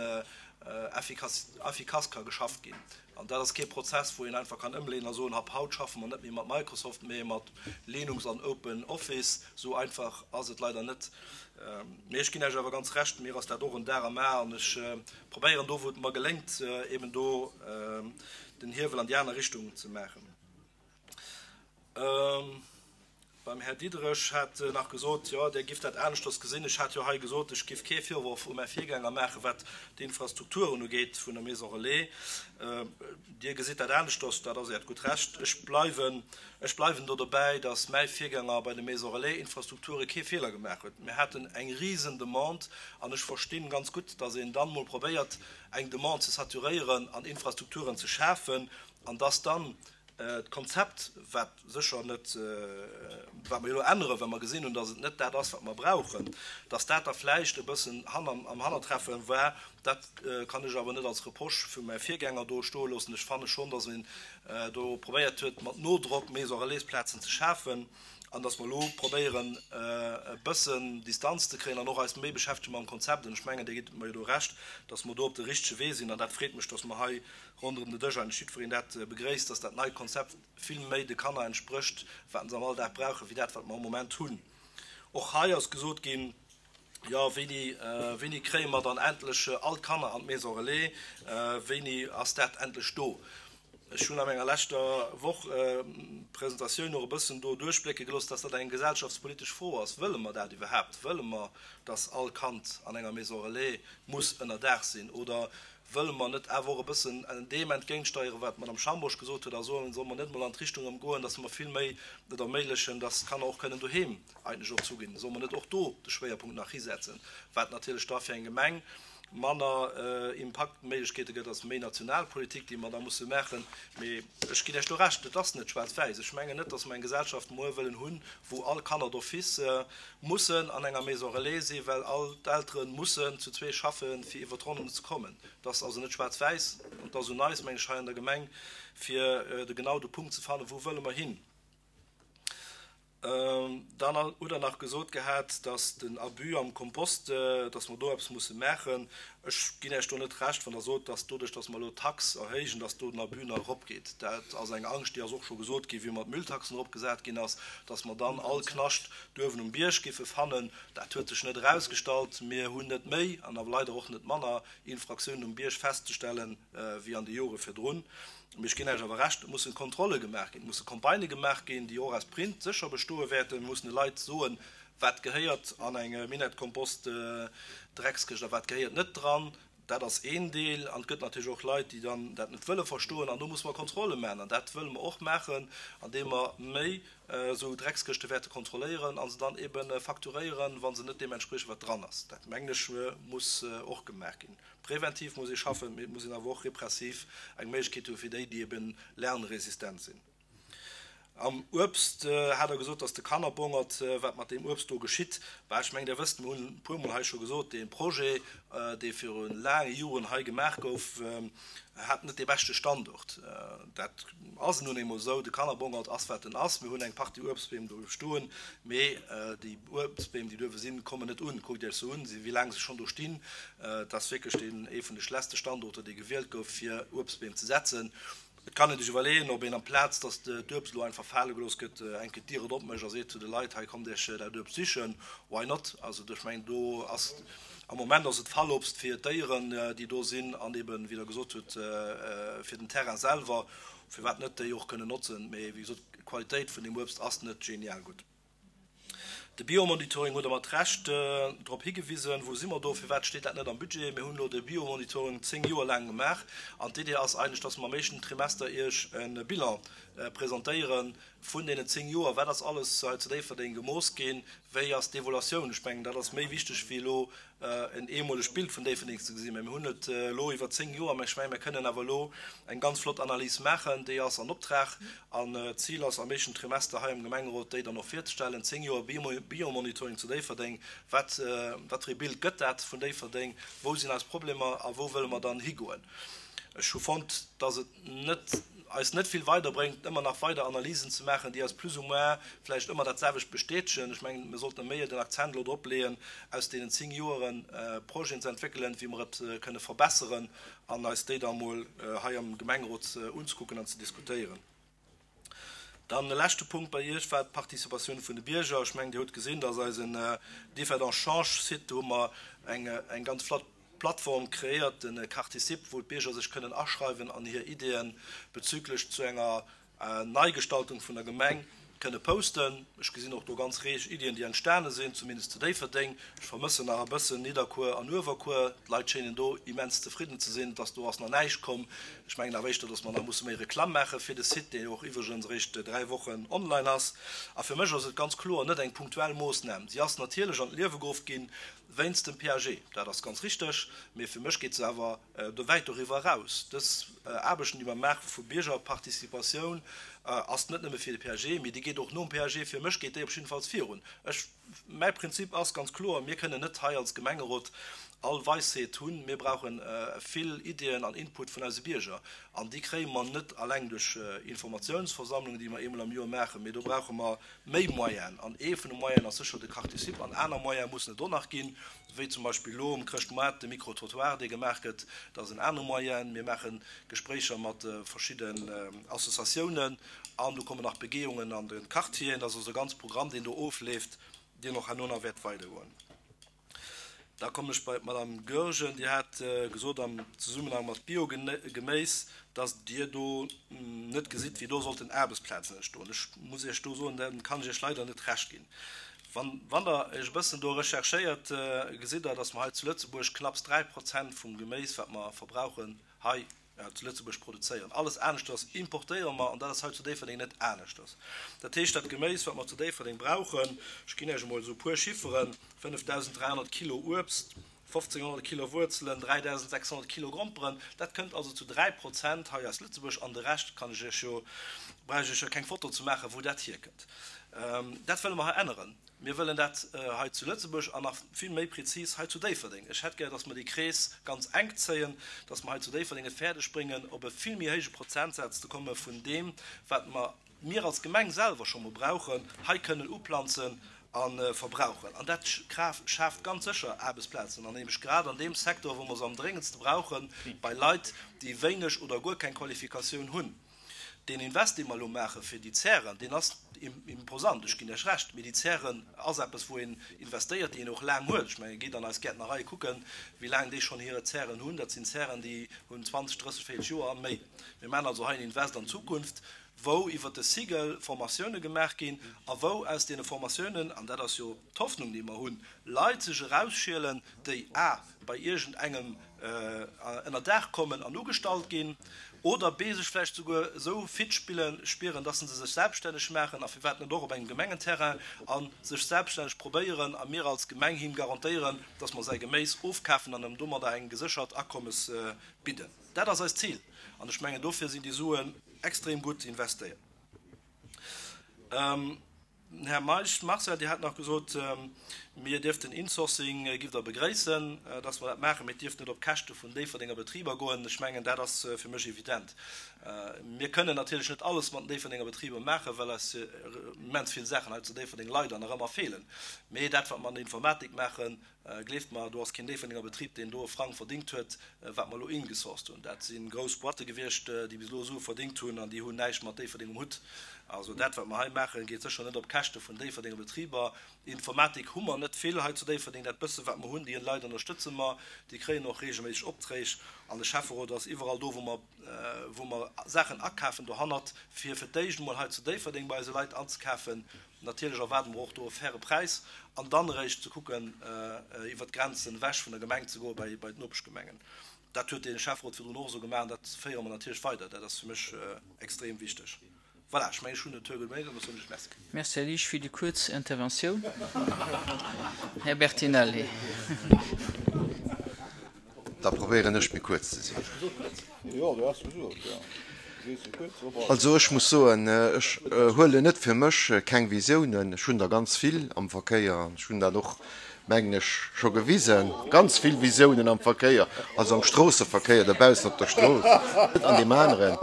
efficace ka geschafft ginn. An dat ass kee Prozess, wou een einfach kann ëmleeën a soen, ab haut schaffe mer net méi mat Microsoft, mee mat Linux an Open Office. Esou einfach ass et leider net. Mee ech ginn Iech awer ganz Recht, mir ass dat och en Dar am A an ech probéieren do, wou et mer geléngt, eben do den Hiewel an déi aner Richtung ze maachen. Beim Här Diderich hat nach gesot, jo, Dir gifft dat aneschters gesinn. Ech hat jo hei gesot, ech giff kee Virworf u mäi Virgänger maachen, wat d'Infrastrukturen ugeet vun der Maison Relais. Dir gesitt dat aneschters, dat ass Äert gutt Recht. Ech bleiwen, ech bleiwen do dobäi, datt mäi Virgänger bei de Maison Relais-Infrastrukture kee Feeler gemaach huet. Mir haten eng risen Demande an ech verstinn ganz gutt, datt een dann emol probéiert, eng Demande ze saturéieren an Infrastrukturen ze schafen an datt dann D'Konzept, wat sécher net, wat mer jo elo änneren, well mer gesinn hunn, datt et net dat ass, wat mer brauchen, datt dat da vläicht e bëssen am Hannertreffe war, dat kann ech awer net als Reproche vu mäi Virgänger do stoe loossen. Ech fanne schonn, datt een do probéiert huet, mat Nodrock Maison-relais-Plazen ze schafen an datt mer elo probéieren, e bëssen Distanz ze kréien an och eis méi beschäftege mam Konzept. An ech mengen, Dir gitt mer jo do Recht, datt mer do op de richtege Wee sinn. An dat freet mech, datt mer hei ronderëm de Dësch eigentlech jiddwereen dat begréisst, dass dat neit Konzept vill méi de Kanner entsprécht, wat se am Alldag brauchen, wéi dat, wat mer am Moment hunn. Och hei ass gesot ginn, Jo, wéini, wéini kréie mer dann endlech all d'Kanner an d'Maison relais? Wéini ass dat endlech do? Ech hunn a menger leschter Woch Presentatioun och e bëssen do duerchblécke gelooss, dass dat eng gesellschaftspolitesch Fro ass. Wëlle mer dat iwwerhaapt? Wëlle mer, dass all Kand an enger Maison relais muss ënnerdaach sinn? Oder wëlle mer net awer och e bëssen deem entgéintsteieren, wat d'Madame Schambourg gesot huet, a soen, solle mer net emol an d'Richtung erëm goen, dass mer vill méi et erméiglechen, dass d'Kanner och kënnen doheem eigentlech och zuginn? Solle mer net och do de Schwéierpunkt nach hisetzen, wat natierlech da fir eng Gemeng manner Impaktméiglechkeete gëtt, ass méi national Politik, déi mer da musse maachen. Mee ech ginn Iech do Recht, et ass net schwaarz-wäiss. Ech mengen net, dass mer eng Gesellschaft muer wëllen hunn, wou all Kanner d'office mussen an enger Maison relais sinn, well all d'Eltere mussen zu zwee schaffen, fir iwwer d'Ronnen ze kommen. Et ass also net schwaarz-wäiss an et ass un eis, meng ech, hei an der Gemeng, fir de genau de Punkt ze fannen, wou wëlle mer hin. Dann hutt Der nach gesot gehat, dass den Abus am Kompost, dass mer do eppes musse maachen. Ech ginn Iech do net Recht, wann Der sot, dass doduerch, dass mer elo d'Tax erhéijen, dass do den Abus nach eropgeet. Dat ass eng Angscht, déi ass och scho gesot ginn, wéi mer d'Mülltaxen eropgesat ginn ass, dass mer dann all Knascht duerwen um Bierg géife fannen. Dat huet sech net erausgestallt. Mir hunn net méi an awer leider och net manner Infraktiounen um Bierg festzestellen, wéi an de Jore virdrun. Mee ech ginn Iech awer Recht, et mussen Kontrolle gemaach ginn, et musse Campagnë gemaach ginn, déi och aus Print sécher bestoe wäerten. Mir mussen de Leit soen, wat gehéiert an eng Minett-Kompost-Dreckskëscht a wat gehéiert net dran. Dat ass een Deel. An et gëtt natierlech och Leit, déi dann dat net wëlle verstoen. An do musse mer Kontrolle maachen. An dat wëlle mer och maachen, andeem mer méi esou Dreckskëschte wäerte kontrolléieren a se dann ebe facturéieren, wa se net deem entspriechen, wat dran ass. Dat, mengen ech, muss och gemaach ginn. Präventiv muss ee schaffen, mee et muss een awer och repressiv eng Méiglechkeet hu fir déi, déi ebe lernresistent sinn. Am Uebst hat Der gesot, dass de Kannerbongert, wat mat deem Uebst do geschitt. Bah, ech mengen, Der wësst, mir hunn e puermol hei scho gesot, dee Projet, dee viru laange Joren hei gemaach gouf, hat net dee beschte Standort. Dat ass nun eemol esou. De Kannerbongert ass, wat en ass. Mir hunn eng Partie Uebstbeem do stoen, mee déi Uebstbeem, déi duerwe sinn, kommen net un. Kuckt Iech se un, wéi laang se schonn do stinn. Et ass wierklech deen ee vun de schlechtste Standorter, dee gewielt gouf, fir Uebstbeem ze setzen. Et kann een sech iwwerleeën, ob een amplaz, datt d'Uebst elo einfach fale gelooss gëtt, eng Kéier d'Dier et opmécht a seet zu de Leit, hei kommt Iech dat Uebst sichen. Why not? Also ech mengen, do ass, am Moment ass et Fallobst fir d'Déieren, déi do sinn, an eben, wéi Der gesot hutt, fir den Terrain selwer, firwat net déi och kënnen notzen. Mee wéi gesot, d'Qualitéit vun deem Uebst ass net genial gutt. De Biomonitoring hutt Der mat Recht drop higewisen. Wou si mer do? Firwat steet dat net am Budget? Mir hunn elo de Biomonitoring zéng Joer laang gemaach an d'Idee ass eigentlech, dass mer am éischten Trimester Iech e Bilan presentéiere vun deenen zéng Joer. Wat ass alles hei zu Déifferdeng gemooss ginn? Wéi ass d'Evoluatioun? Ech mengen, dat ass méi wichteg wéi elo en eemolegt Bild vun Déifferdeng ze gesinn. Mä mir hunn et elo iwwer zéng Joer, mä ech mengen, mir kënnen awer elo eng ganz flott Analys maachen. Déi ass an Optrag an d'Zil ass, am éischten Trimester hei am Gemengerot déi dann och virzestellen. Zéng Joer Biomonitoring zu Déifferdeng, wat, wat fir ee Bild gëtt dat vun Déifferdeng? Wou sinn eis Problemer a wou wëlle mer dann higoen? Ech hu fonnt, dass et net, eis net vill weiderbréngt, ëmmer nach weider Analysen ze maachen, déi eis plus ou moins vläicht ëmmer dat selwecht bestätegen. Ech mengen, mir sollten méi den Akzent elo drop leeën, aus deenen zéng Joere Projeten ze entwéckelen, wéi mer et kënne verbesseren an eis déi da mol hei am Gemengerot unzekucken an ze diskutéieren. Dann e leschte Punkt bei Iech war d'Participatioun vun de Bierger. Ech mengen, Dir hutt gesinn, dass eisen Differdange Change-Site, do hu mer eng, eng ganz flott Plattform kreéiert, de Carticip, wou d'Bierger sech kënnen aschreiwen an hir Ideeën bezüglech zu enger Neigestaltung vun der Gemeng kënne posten. Ech gesinn och do ganz reeg Iddien, déi entstane sinn, zumindest zu Déifferdeng. Ech vermëssen nach e bëssen Nidderkuer an Uewerkuer. D'Leit schéinen do immens zefridden ze sinn, dass do ass nach näischt komm. Ech mengen awer éischter, dass mer nach musse méi Reklamm maache fir de Site, dee jo och iwwregens eréischt dräi Wochen online ass. A fir mech ass et ganz kloer net eng punktuell Moossnam. Si ass natierlech an d'Liewe geruff ginn wéinst dem P A G, dat ass ganz richteg, mee fir mech geet se awer wäit doriwwer eraus. Dës Aarbechten, déi mer maache vu Biergerparticipatioun, ass net nëmme fir de P A G, mee déi geet och nom P A G. Fir mech geet déi op jiddefalls virun. Ech, mäi Prinzip ass ganz kloer, Mir kënnen net hei als Gemengerot all Weisheet hunn. Mir brauche vill Iddien an Input vun eise Bierger. An déi kréie mer net alleng duerch Informatiounsversammlungen, déi mer eemol am Joer maachen, mee do brauche mer méi Moyenen. An ee vun de Moyenen ass sécher de Carticip. An aner Moyene mussen et och nach ginn, wéi zum Beispill elo um Chrëschtmoart de Micro-trottoir, dee gemaach gëtt. Dat ass en anere Moyen. Mir maache Gespréicher mat verschidden Associatiounen an do kommen nach Begehungen an de Quartieren. Dat ass also e ganz Programm, deen do ofleeft, deen och herno nach wäert weidergoen. Da kommen ech bei d'Madame Goergen. Dir hat gesot am Zesummenhang mat Biogeméis, dass Dir do net gesitt, wéi do sollten Aarbechtsplazen entstoen. Ech muss Iech do soen, da kann ech Iech leider net Recht ginn. Wann, wann Der Iech e bëssen do recherchéiert, gesitt Der, dass mer hei zu Lëtzebuerg knapps dräi Prozent vum Geméis, wat mer verbrauchen, hei zu Lëtzebuerg produzéieren. Alles aneschters importéiere mer, an dat ass hei zu Déifferdeng net aneschters. Dat heescht, dat Geméis, wat mer zu Déifferdeng brauchen, ech ginn Iech emol esou e puer Chifferen, fënnefdausend dräihonnert Kilo Uebst, fofzénghonnert Kilo Wuerzelen, dräidausend sechshonnert Kilo Gromperen, dat kënnt also zu dräi Prozent hei aus Lëtzebuerg, an de Rescht kann ech Iech jo, brauch ech Iech jo keng Foto ze maachen, wou dat hierkënnt. Dat wëlle mer hei änneren. Mir wëllen dat hei zu Lëtzebuerg an nach vill méi prezis hei zu Déifferdeng. Ech hätt gär, dass mer dee Krees ganz enk zéien, dass mer hei zu Déifferdeng et fäerdeg bréngen, op e vill méi héije Prozentsaz ze komme vun deem, wat mer, mir als Gemeng selwer scho mol brauchen, hei kënnen uplanzen a verbrauchen. An dat schaaft ganz sécher Aarbechtsplazen, an nämlech grad an deem Secteur, wou mer se am dréngendste brauchen, bei Leit, déi wéineg oder guer keng Qualifikatioun hunn. Deen Invest, dee mer elo maache fir déi Zären, deen ass imposant, ech ginn Iech Recht, mee déi Zären ass eppes, wou een investéiert, déi een och laang huet. Ech mengen, gitt an eis Gäertnerei kucken, wéi laang déi schonn hire Zären hunn. Dat sinn Zären, déi hunn zwanzeg, drësseg, véierzeg Joer a méi. Mir maachen also hei en Invest an d'Zukunft, wou iwwert de Cycle Formatioune gemaach ginn a wou aus deene Formatiounen, an dat ass jo d'Hoffnung, déi mer hunn, Leit sech erausschielen, déi a bei iergendengem ënner Daach kommen an ugestallt ginn, oder b sech vläicht souguer esou fit spillen, spieren, dass se sech selbststänneg maachen, a firwat net och op engem Gemengenterrain, a sech selbststänneg probéieren, a mir als Gemeng him garantéieren, dass mer säi Geméis ofkafen an em domadder eng geséchert Akommes bidden. Dat ass eist Zil, an ech mengen, dofir sinn déi Suen extrem gutt investéiert. Här Meisch Marcel, Dir hat nach gesot, mir dierften Insourcing, giff Der begréissen, dass mer dat maachen, mee et dierft net op Käschte vun Déifferdenger Betriber goen. Ech mengen, dat ass fir mech evident. Mir kënnen natierlech net alles mat den Déifferdenger Betriber maachen, well eis immens vill Saachen hei zu Déifferdeng leider nach ëmmer feelen. Mee dat, wat mer an der Informatik maachen, Gleeft mer, do ass keen Déifferdenger Betrib, deen do e Frang verdingt huet, wat mer elo ingesourced hunn. Dat si grouss Boîte gewiescht, déi bis elo Sue verdingt hunn an déi hunn näischt mat Déifferdeng um Hutt. Also dat, wat mer hei maachen, geet sécher net op Käschte vun Déifferdenger Betriber. Informatik hu mer net vill hei zu Déifferdeng. Dat bësse wat mer hunn, déi Leit ënnerstëtze mer. Déi kréien och reegelméisseg Opträg. An de Schäfferot ass iwwerall do, wou mer, wou mer Saachen akafen, dohannert, fir fir d'éischt emol hei zu Déifferdeng bei eise Leit anzekafen. Natierlech erwaarde mer och do e faire Präis an dann eréischt ze kucken, iwwert d'Grenzen ewech vun der Gemeng ze goe bei d'Nopeschgemengen. Dat huet de Schäfferot virdrun och esou gemaach an dat féiere mer natierlech weider. Dat ass fir mech extrem wichteg. Voilà, ech mengen, ech hunn den Tour geméit an da soen ech Merci. Merci, Här Liesch, fir déi kuerz Interventioun. Här Bertinelli. Da probéieren ech méi kuerz ze sinn. Also ech muss soen, ech huelen net fir mech keng Visiounen. Ech hunn der ganz vill am Verkéier an ech hunn dat och, mengen ech, scho gewisen, ganz vill Visiounen am Verkéier, also am Stroosseverkéier dobaussen op der Strooss, net an deem aneren.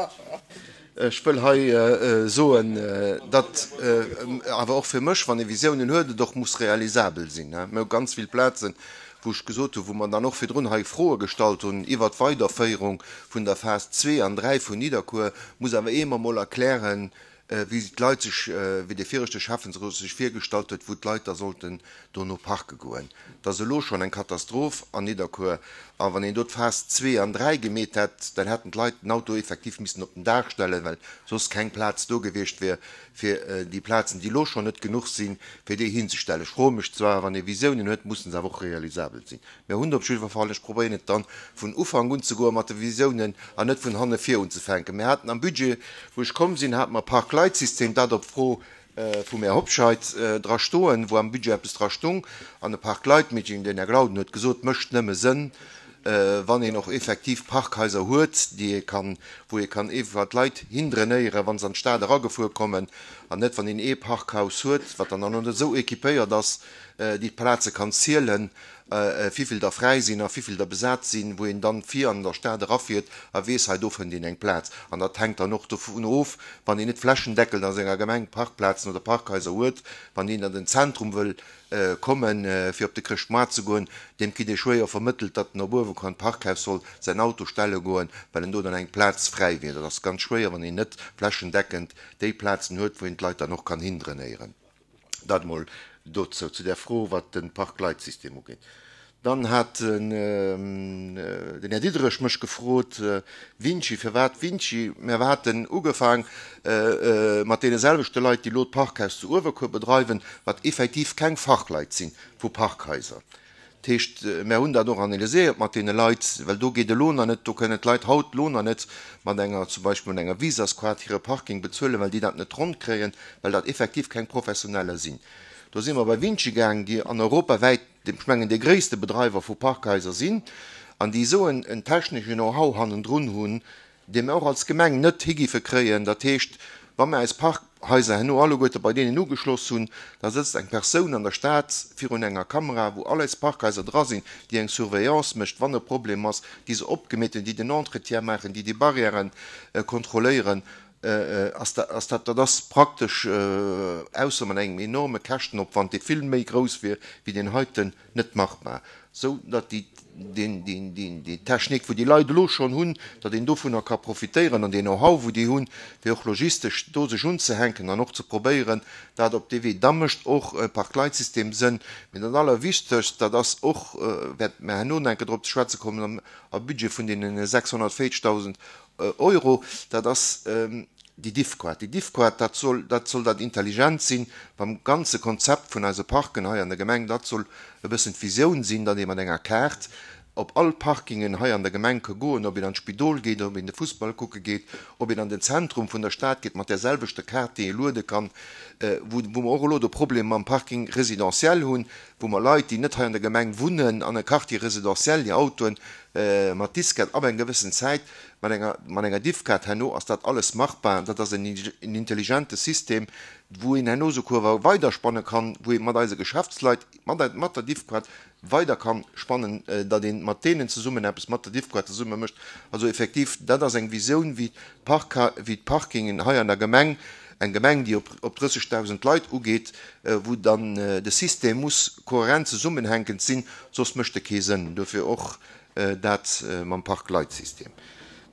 Ech wëll hei soen, datt awer och fir mech, wann ee Visiounen huet, et och muss realisabel sinn. Mir hu ganz vill Plazen, wou ech gesot hunn, wou mer dann och virdrun hei Froe gestallt hunn iwwert d'Weiderféierung vun der Phas zwee an dräi vun Nidderkuer, muss awer ee mer emol erklären, wéi d'Leit sech, wéi dee viregte Schäffensrot sech virgestallt huet, wou d'Leit da sollten dono parke goen. Et ass elo schonn eng Katastroph an Nidderkuer. A wann een do d'Phas zwee an dräi gemeet hätt, dann hätten d'Leit den Auto effektiv missen op den Daach stellen, well soss keng Plaz do gewiescht wier, fir déi Plazen, déi elo schonn net genuch sinn, fir déi hinzestellen. Ech froe mech zwar, wann ee Visiounen huet, mussen se awer och realisabel sinn. Mir hunn op jiddwer Fall, ech probéieren et dann vun Ufank unzegoe mat de Visiounen an net vun hanne vir unzefänken. Mir haten am Budget, wou ech komm sinn, hate mer Park-Leit-System, dat op Fro vum Här Hobscheit dra stoen, wou am Budget eppes dra stung, an e Park-Leit-Meeting, den Här Glauden huet gesot, mécht nëmme Sënn, wann een och effektiv Parkhaiser huet, déi ee kann, wou ee kann iwwer d'Leit hindrainéieren, wa se an d'Stad eragefuer kommen, an net wann een ee Parkhaus huet, wat dann och net esou équipéiert ass, déi d'Plaze kann zielen, wivill der fräi sinn a wivill der besat sinn, wou een dann vir an der Stad erafiert a weess, hei do fënnt een eng Plaz. An dat hänkt dann och dovun of, wann een net flächendeckend a senger Gemeng Parkplazen oder Parkhaiser huet, wann een an den Zentrum wëll kommen, fir op de Chrëschtmoart ze goen, deem kritt ee schwéier vermëttelt, datt en op uewen an d'Parkhaus soll säin Auto stelle goen, well en do dann eng Plaz fräi wier. Dat ass ganz schwéier, wann een net flächendeckend déi Plazen huet, wou een d'Leit dann och kann hindrainéieren. Dat emol dozou, zu där Fro, wat de Park-Leit-System ugeet. Dann hat den, äh, den Här Diderich mech gefrot, äh, Vinci, firwat Vinci? Mir haten ugefaang äh, äh, mat deene selwechte Leit, déi lo d'Parkhaus zu Uewerkuer bedreiwen, wat effektiv keng Fachleit sinn vu Parkhaiser. Dat heescht, mir hunn dat och analyséiert mat deene Leit, well do geet elo nach net, do kënnen d'Leit haut lo nach net mat enger, zum Beispill mat enger Visaskaart hire Parking bezuelen, well déi dat net ronn kréien, well dat effektiv keng Professioneller sinn. Do si mer bei Vinci gaang, déi an europawäit, ech mengen, dee gréisste Bedreiwer vu Parkhaiser sinn, an déi esou en, en technesche Know-how hannendrun hunn, dee mer och als Gemeng net higiffe kréien. Dat heescht, wa mer eis Parkhaiser herno alleguerte bei deenen ugeschloss hunn, da sëtzt eng Persoun an der Stad virun enger Kamera, wou all eis Parkhaiser dra sinn, déi eng Surveillance mécht, wann e Problem ass, déi se opgemeet hunn, déi den Entretien maachen, déi déi Barrièren, äh, kontrolléieren. Äh, äh, ass dat, ass dat, dat ass praktesch, äh, ausser mat engem enorme Käschtenopwand, dee vill méi grouss wier wéi deen heiten, net machbar. Sou datt déi, deen, deen, deen, déi Technik, wou déi Leit elo schonn hunn, datt een dovunner ka profitéieren an deen Know-how, wou déi hunn, fir och logistesch do sech unzehänken an och ze probéieren, dat op dee Wee. Da mécht och e Parkleitsystem Sënn. Mee dat Allerwichtegst, dat ass och, äh, wäert mer herno nach eng Kéier drop ze schwätze kommen, am, am Budget vun deenen sechshonnertvéierzegdausend, äh, Euro, dat ass, ähm, déi Diffquart. Déi Diffquart, dat soll, dat soll dat intelligent sinn beim ganze Konzept vun eise Parken hei an der Gemeng. Dat soll e bëssen d'Visioun sinn, datt ee mat enger Kaart op all Parkingen hei an der Gemeng ka goen, ob een an d'Spidol geet, ob een de Fussball kucke geet, ob een an den Zentrum vun der Stad geet, mat der selwechter Kaart, déi ee luede kann, äh, wou, wou mer och elo de Problem mam Parking résidentiel hunn, wou mer Leit, déi net hei an der Gemeng wunnen, an e Quartier résidentiel, déi Autoen, äh, mat Diskett ab eng gewëssen Zäit, mat enger, mat enger Diffkaart herno ass dat alles machbar. Dat ass en, en intelligente System, wou een herno souguer weiderspanne kann, wou ee mat eise Geschäftsleit, mat, mat der Diffkaart weider kann spannen, äh, datt een mat deenen zesummen eppes mat der Diffkaart zesumme mécht. Also effektiv, dat ass eng Visioun, wéi d'Park, wéi d'Parkingen hei an der Gemeng, eng Gemeng, déi op, op drëssegdausend Leit ugeet, äh, wou dann, äh, de System muss kohärent zesummenhänkend sinn, soss mécht e kee Sënn. Dofir och, äh, dat, äh, mam Parkleitsystem.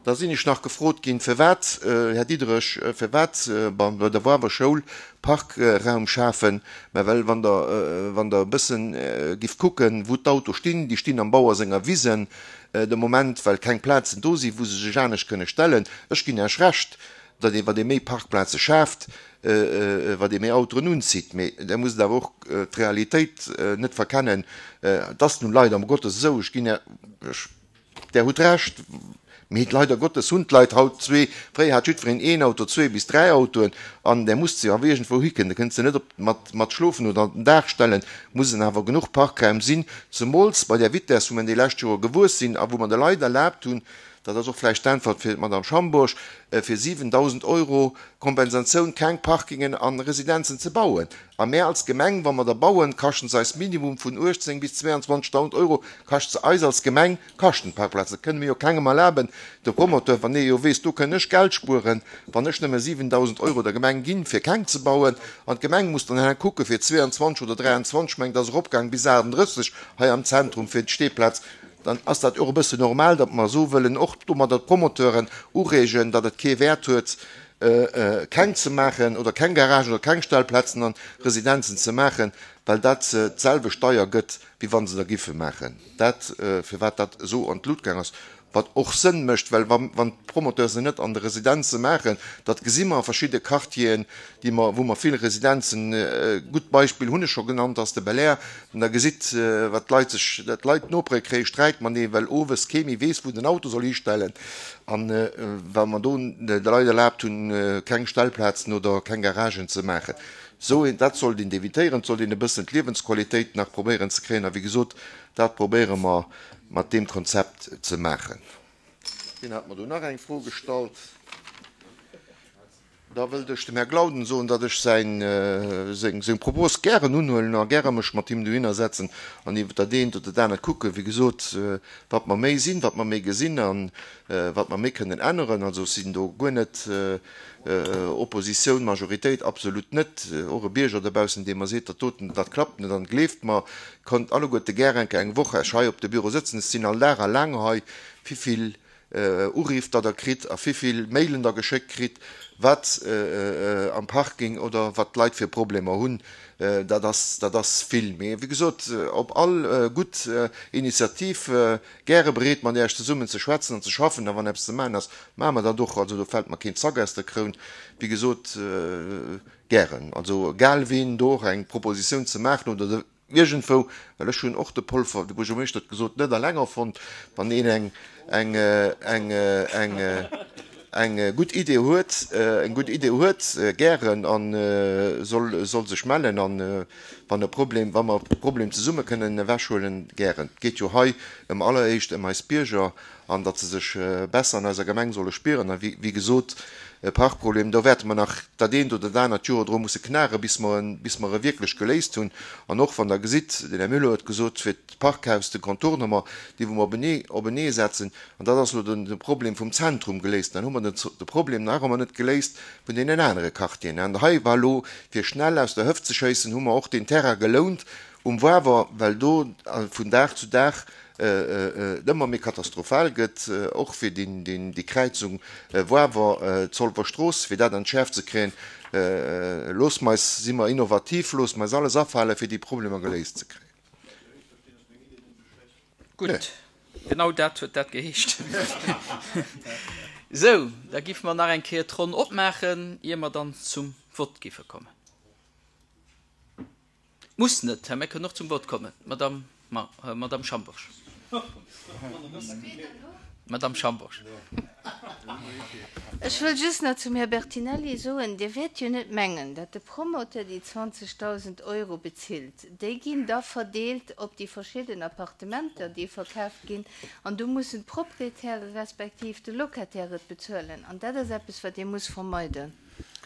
Da sinn ech nach gefrot ginn, firwat, äh, Här Diderich, äh, firwat, äh, bei, bei der Wawer Schoul Parkraum schafen, mä well wann der, äh, wann der e bëssen, äh, giff kucken, wou d'Auto stinn, déi stinn am Bauer senger Wisen, äh, de Moment, well keng Plazen do sinn, wou se sech anescht kënne stellen. Ech ginn Iech Recht, datt ee, wat ee méi Parkplaze schaaft, äh, äh, wat ee méi Autoen unzitt. Mee da muss awer och, äh, d'Realitéit, äh, net verkennen. Äh, dat ass nun leider um Gottes esou, ech ginn ja, ech, der huet Recht, mee leider Gottes hunn d'Leit haut zwee, fréier hat jiddwereen een Auto, zwee bis dräi Autoen, an der muss se awer iergendwou hiken. Da kënnt se net op, mat, mat schlofen oder an den Dag stellen, mussen awer genuch Parkraim sinn, zemools bei der Vitesse, wou mer déi lescht Joer gewuess sinn a wou mer de Leit erlaabt hunn, dat ass och vläicht d'Äntwert fir d'Madame Schambourg, äh, fir siwendausend Euro Kompensatioun keng Parkingen an Residenzen ze bauen. A mir als Gemeng, wa mer da bauen, kaschten se eis Minimum vun uechtzéng bis zweiundzwanzigtausend Euro, kascht se eis als Gemeng kaschten Parkplazen. Dat kënne mir jo kengem erlaben. De Promoteur, wann e jo weess, do kënn ech Geld spueren, wann ech nëmme siwendausend Euro der Gemeng ginn, fir keng ze bauen, an d'Gemeng muss dann herno kucke fir zweiundzwanzig oder dräiundzwanzig, mengt, ass eropgaang bis achtunddrësseg hei am Zentrum fir d'Stehplatz. Dann ass dat och e bëssen normal, datt mer so wëllen och domadder d'Promoteuren ureegen, datt et kee Wäert huet, äh, äh, keng ze maachen oder keng Garage oder keng Stellplazen an Residenzen ze maachen, well dat, äh, d'selwecht Steier gëtt, wéi wann se da giffe maachen. Dat, äh, firwat dat esou an d'Lut gaang ass, wat och Sënn mécht, well wann, wann d'Promoteure se net an de Residenze maachen, dat gesi mer a verschidde Quartieren, déi mer, wou mer vill Residenzen, äh, gutt Beispill hunn ech scho genannt, ass de Bel Air, an da gesitt, äh, wat d'Leit sech, dat d'Leit nopere kréie Sträit matenee, well owes kee méi weess, wou den Auto soll histellen. An, äh, well mer do de Leit erlaabt hunn, äh, keng Stellplazen oder keng Garagen ze maachen. So, dat sollt een evitéieren, sollt een e bëssen d'Liewensqualitéit nach probéieren ze kréien. A wéi gesot, dat probéiere mer mat deem Konzept ze maachen. Wien hat mer do nach eng Fro gestallt? Da wëllt ech dem Här Glauden soen, datt ech säin, äh, seng, seng Propos gären unhuelen a gäre mech mat him dohinner setzen an iwwer dat eent oder dat anert kucken. Wéi gesot, äh, wat mer méi sinn, wat mer méi gesinn an, äh, wat mer méi kënnen änneren. Also sinn do guer net, äh, äh, Oppositioun, Majoritéit, absolut net. Äh, och e Bierger dobaussen, dee mer seet, dat doten, dat klappt net, dann gleeft mer, konnt alleguerte gär eng Woch hei op de Büro sëtzen. Es sinn all Dag a laang hei, wéi vill Uriff der der kritt a wéivill Mailen der geschéckt kritt, wat am Parking oder wat d'Leit fir Problemer hunn, dat ass, dat ass vill. Mee wéi gesot, op all gutt Initiativ gäre bereet, mat Iech zesummen ze schwätzen an ze schaffen. A wann eppes ze maachen ass, maache mer dat och. Also do fält mer keen Zack aus der Kroun. Wéi gesot, gären. Also egal ween do och eng Propositioun ze maachen oder de iergendwou, well ech hunn och de Polfer, de Buergermeeschter huet gesot, net eleng erfonnt, wann een eng, eng, eng, eng, eng gutt Idee huet, eng gutt Idee huet, gären a soll, soll sech mellen an wann e Problem, wa mer e Problem zesumme kënnen ewechhuelen, gären. Et geet jo hei ëm alleréischt ëm eis Bierger an datt se sech besser an eiser Gemeng solle spieren. A wéi, wéi gesot, e Parkproblem, do wäerte mer nach dat eent oder dat anert Joer dru musse knare bis mer en, bis mer e wierklech geléist hunn. An och wann Der gesitt, den Här Müller huet gesot, fir d'Parkhaus, de Contournement, dee wou mer openee, openee setzen, an dat ass elo den, de Problem vum Zentrum geléist, dann hu mer den, de Problem nach ëmmer net geléist vun deenen anere Quartieren. An hei war elo, fir schnell aus der Hëft ze schéissen, hu mer och deen Terrain gelount um Wawer, well do vun Dag zu Dag et ëmmer méi katastrophal gëtt, och fir déi Kräizung Wawer, Zolwer Strooss, fir dat an d'Schäerft ze kréien. Looss mer eis, si mer innovativ, looss mer eis alles afale fir déi Problemer geléist ze kréien. Gutt, genau dat huet dat geheescht. Sou, da giffe mer nach eng Kéier d'Ronn opmaachen, ier mer dann zum Vott giffe kommen. Muss net, Här, mir kënnen och zum Vott kommen. Madame, Ma, äh, Madame Schambourg. Madame Schambourg. Ech wëll just nach zum Här Bertinelli soen, Dir wäert jo net mengen, datt de Promoteur déi zwanzegdausend Euro bezilt. Déi ginn da verdeelt op déi verschidden Appartementer, déi verkaaft ginn, an do mussen d'Proprietäre respektiv de Locataire et bezuelen. An dat ass eppes, wat ee muss vermeiden.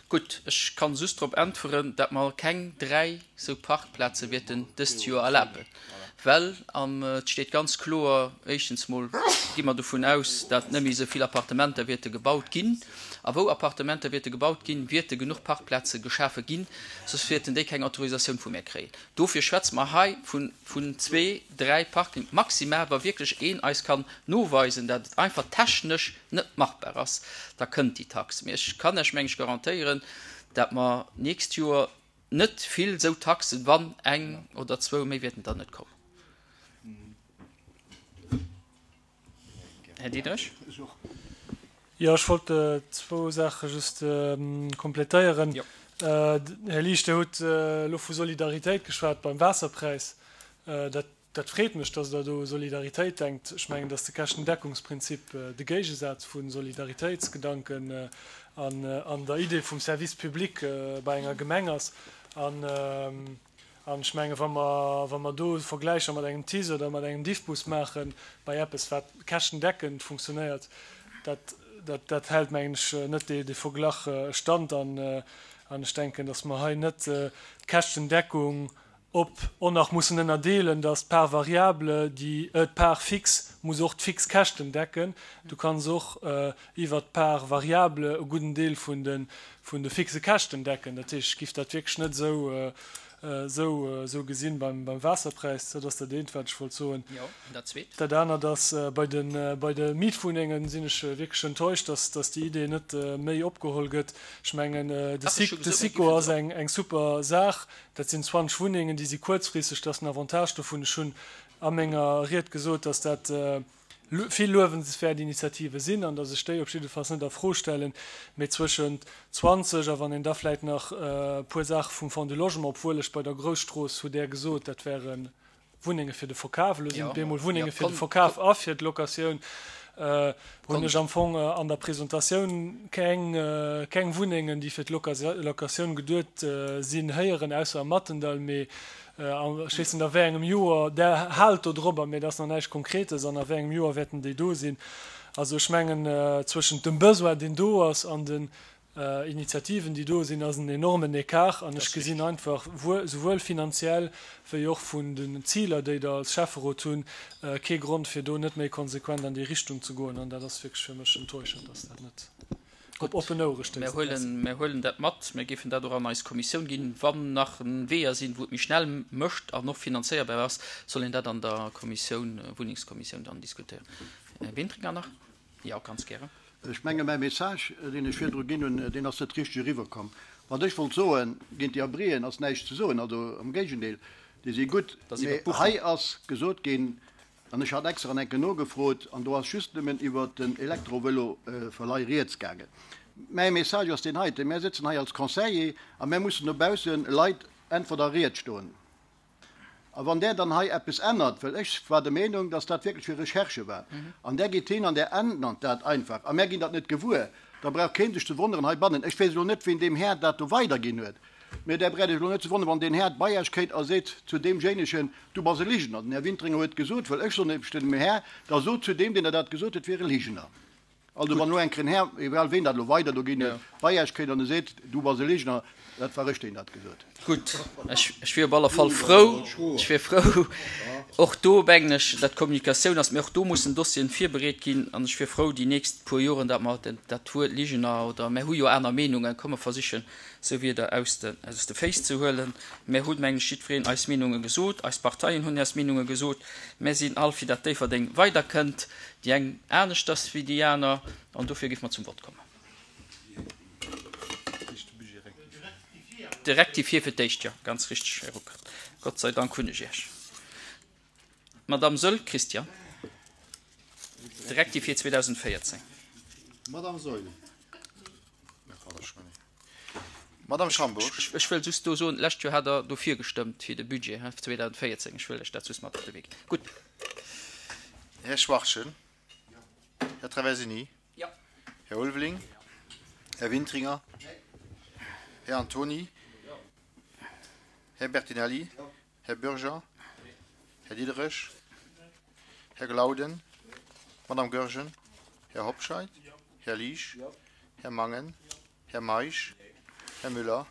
Gutt, ech kann just drop äntweren, datt mer keng dräi sou Parkplaze wäerten dëst Joer erlaben. Well am, et steet ganz kloer, éischtens mol gi mer dovun aus, datt net méi sou vill Appartementer wäerte gebaut ginn. A wou Appartementer wäerte gebaut ginn, wäerte genuch Parkplaze geschafe ginn, soss wäerten déi keng Autorisatioun vu mir kréien. Dofir schwätze mer hei vun, vun zwee, dräi Parking maximal, wa wierklech een eis kann noweisen, datt et einfach technesch net machbar ass, da kënnt déi Tax. Mee ech kann Iech, meng ech, garantéieren, datt mer nächst Joer net vill sou Taxen, wann eng oder zwou méi wäerten dann net kommen. Här Diederich? Jo, ech wollt zwou Saache just kompletéieren. Här Liesch, Dir hutt elo vu Solidaritéit geschwat beim Waasserpräis. Dat, dat freet mech, dass Der do u Solidaritéit denkt. Ech mengen, dass de Käschtendeckungsprinzip de Géigesaz vu Solidaritéitsgedanken an, an der Idee vum Service public bei enger Gemeng ass. An, an ech mengen, wa mer, wa mer do Vergläicher mat engem TICE oder mat engem Diffbus maachen, bei eppes, wat käschtendeckend funktionéiert, dat, dat, dat hält, mengen ech, net dee, dee Verglach stand. An, an ech denken, dass mer hei net d'Käschtendeckung op och nach mussen ënnerdeelen, dass d'Part variable, déi, d'Part fixe muss och d'fix Käschten decken. Du kanns och iwwert d'Part variable e gudden Deel vun de, vun de fixe Käschten decken. Dat heescht, ech giff dat wierklech net esou, esou, esou gesinn beim, beim Waasserpräis. Dat ass dat eent, wat ech wollt soen. Jo, an dat zweet? Dat anert ass, bei de, bei de Mietwunnengen sinn ech wierklech enttäuscht, dass, dass déi Idee net méi opgeholl gëtt. Ech mengen, de Ach, de SICO ass eng, eng super Saach. Dat sinn zwanzeg Wunnengen, déi si kuerzfristeg, dat ass den Avantage dovun. Ech hunn a menger Ried gesot, dass dat vill luewenswäert Initiative sinn an dass ech déi op jiddefalls net a Fro stellen. Mee zwëschent zwanzeg a wann een da vläicht nach e puer Saache vum Fonds du Logement, obwuel ech bei der Grousstrooss hutt Der gesot, dat wäre Wunnenge fir de Verkaf, elo sinn et bemol Wunnenge fir de Verkaf a fir d'Locatioun, hunn ech am Fong an der Presentatioun keng, keng Wunnengen, déi fir d'Locatioun geduet sinn, héieren, ausser am Mattendall. Mee ech weess net, a wéi engem Joer, Der haalt do drobber, mee et ass nach näischt Konkretes, an a wéi engem Joer wäerten déi do sinn. Also ech mengen, zwëschent dem Besoin, deen do ass, an den Initiativen, déi do sinn, ass en enormen Ecart. An ech gesinn einfach, souwuel finanziell wéi och vun den Ziler, déi Der als Schäfferot hunn, kee Grond, fir do net méi konsequent an déi Richtung ze goen. An dat ass wierklech fir mech enttäuschend, dass dat net op oppen Ouere stéisst. Mir huelen, mir huelen dat mat. Mir géifen dat och an eis Kommissioun ginn. Wann nach Weeër sinn, wou et méi schnell mécht an och finanzéierbar ass, soll een dat an der Kommissioun, Wunnengskommissioun dann diskutéieren. Här Wintringer nach. Jo, ganz gären. Ech menge mäi Message, deen ech virdru ginn hunn, deen ass net richteg eriwwerkomm. Wat ech wollt soen, géint déi Abrien ass näischt ze soen, also am Géigendeel, déi si gutt. Mee hei ass gesot ginn, an ech hat extra an enke nogefrot, an do ass just nëmmen iwwert den Elektrovëlo-Verleih rieds gaangen. Mäi Message ass deen heiten, Mär sëtzen hei als Conseiller a mär mussen dobausse Leit Äntwert a Ried stoen. A wann Der dann hei eppes ännert, well ech war der Meenung, dass dat wierklech fir Recherche war, an Der gitt hin an Der ännert dat einfach a mär ginn dat net gewuer, da brauch kee sech ze wonneren heibannen. Ech weess elo net, ween deem Här dat do weiderginn huet, mä Der braucht Iech elo net ze wonneren, wann deen Här bei Iech kéint a seet zu deemjéinegen, Du bass e Ligener. Den Här Wintringer huet gesot, well ech soen nämlech dem Här, da sot zu deem, deen der dat gesot huet, wier e Ligener. Also wann elo eng Kéier en Här, egal ween dat elo weider do ginn huet, bei Iech kéint an e seet, Du bass e Ligener, dat war ech, deen dat gesot. Gutt, ech wier op alle Fall frou, ech wier frou, och do mengen ech, dat d'Kommunikatioun ass, mee och do mussen Dossieren virbereet ginn an ech wier frou déi nächst puer Joren, datt mer dat Wuert Ligener oder mär hu jo aner Meenungen, komm mer versichen esou Wierder aus de aus de Féiss ze huelen. Mär hunn, mengen ech, jiddwereen eis Meenunge gesot, eis Parteien hunn eis Meenunge gesot, mär sinn all fir dat Déifferdeng weiderkënnt. Déi eng aneschters wéi déi aner, an dofir géife mer zum Vott kommen. De Rectifié fir d'éischt, jo, ganz richteg, Här Ruckert. Gott sei Dank hunn ech Iech. Madamm Saeul Christian, de Rectifié zweedausendvéierzéng. Madamm Saeul. Madamm Schambourg. Ech wëll just do soen, d'lescht Joer hat Der dofir gestëmmt, fir de Budget zweedausendvéierzéng. Ech wëll lech dat just mat op de Wee ginn. Gutt. Här Schwachtgen. Här Traversini. Här Ulveling. Här Wintringer. Här Antony. Här Bertinelli. Här Bürger. Här Diderich. Här Glauden. Madamm Goergen. Här Hobscheit. Här Liesch. Här Mangen. Här Meisch. Här Müller.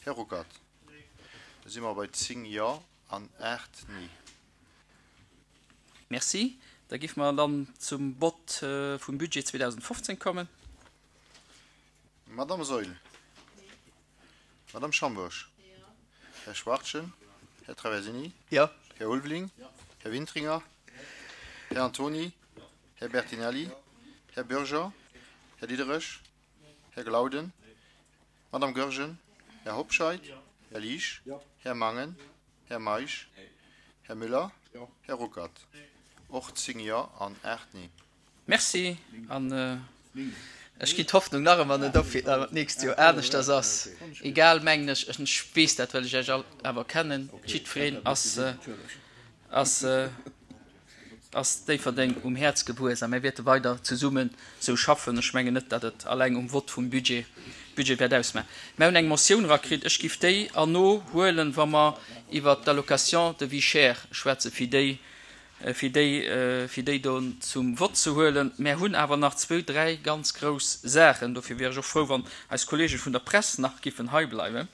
Här Ruckert. Da si mer bei zéng Jo an aacht Nee. Merci. Da géife mer dann zum Vott vum Budget zweedausendfofzéng kommen. Madamm Saeul. Madamm Schambourg. Här Schwachtgen. Här Traversini. Här Ulveling. Här Wintringer. Här Antony. Här Bertinelli. Här Bürger. Här Diderich. Här Glauden. Madamm Goergen. Här Hobscheit. Här Liesch. Här Mangen. Här Meisch. Här Müller. Här Ruckert. Och zéng Jo an aacht Nee. Merci. An ech ginn d'Hoffnung nach ëmmer net op, fir datt et d'nächst Joer aneschters ass. Egal, mengen ech, ech weess dat, well ech Iech all awer kennen, jiddwereen ass, ass, ass Déifferdeng um Häerz gewuess a mir wäerte weider zesummen esou schaffen. Ech mengen net, datt et alleng um Vott vum Budget, Budget wäert ausmaachen. Mir hunn eng Motioun erakritt. Ech giff déi erno huelen, wa mer iwwert d'Allocation de vie chère schwätzen, fir déi, fir déi, fir déi do zum Vott ze huelen. Mär hunn awer nach zwou, dräi ganz grouss Saachen. Dofir wier ech och frou, wann eis Kollege vun der Press nach giffen hei bleiwen.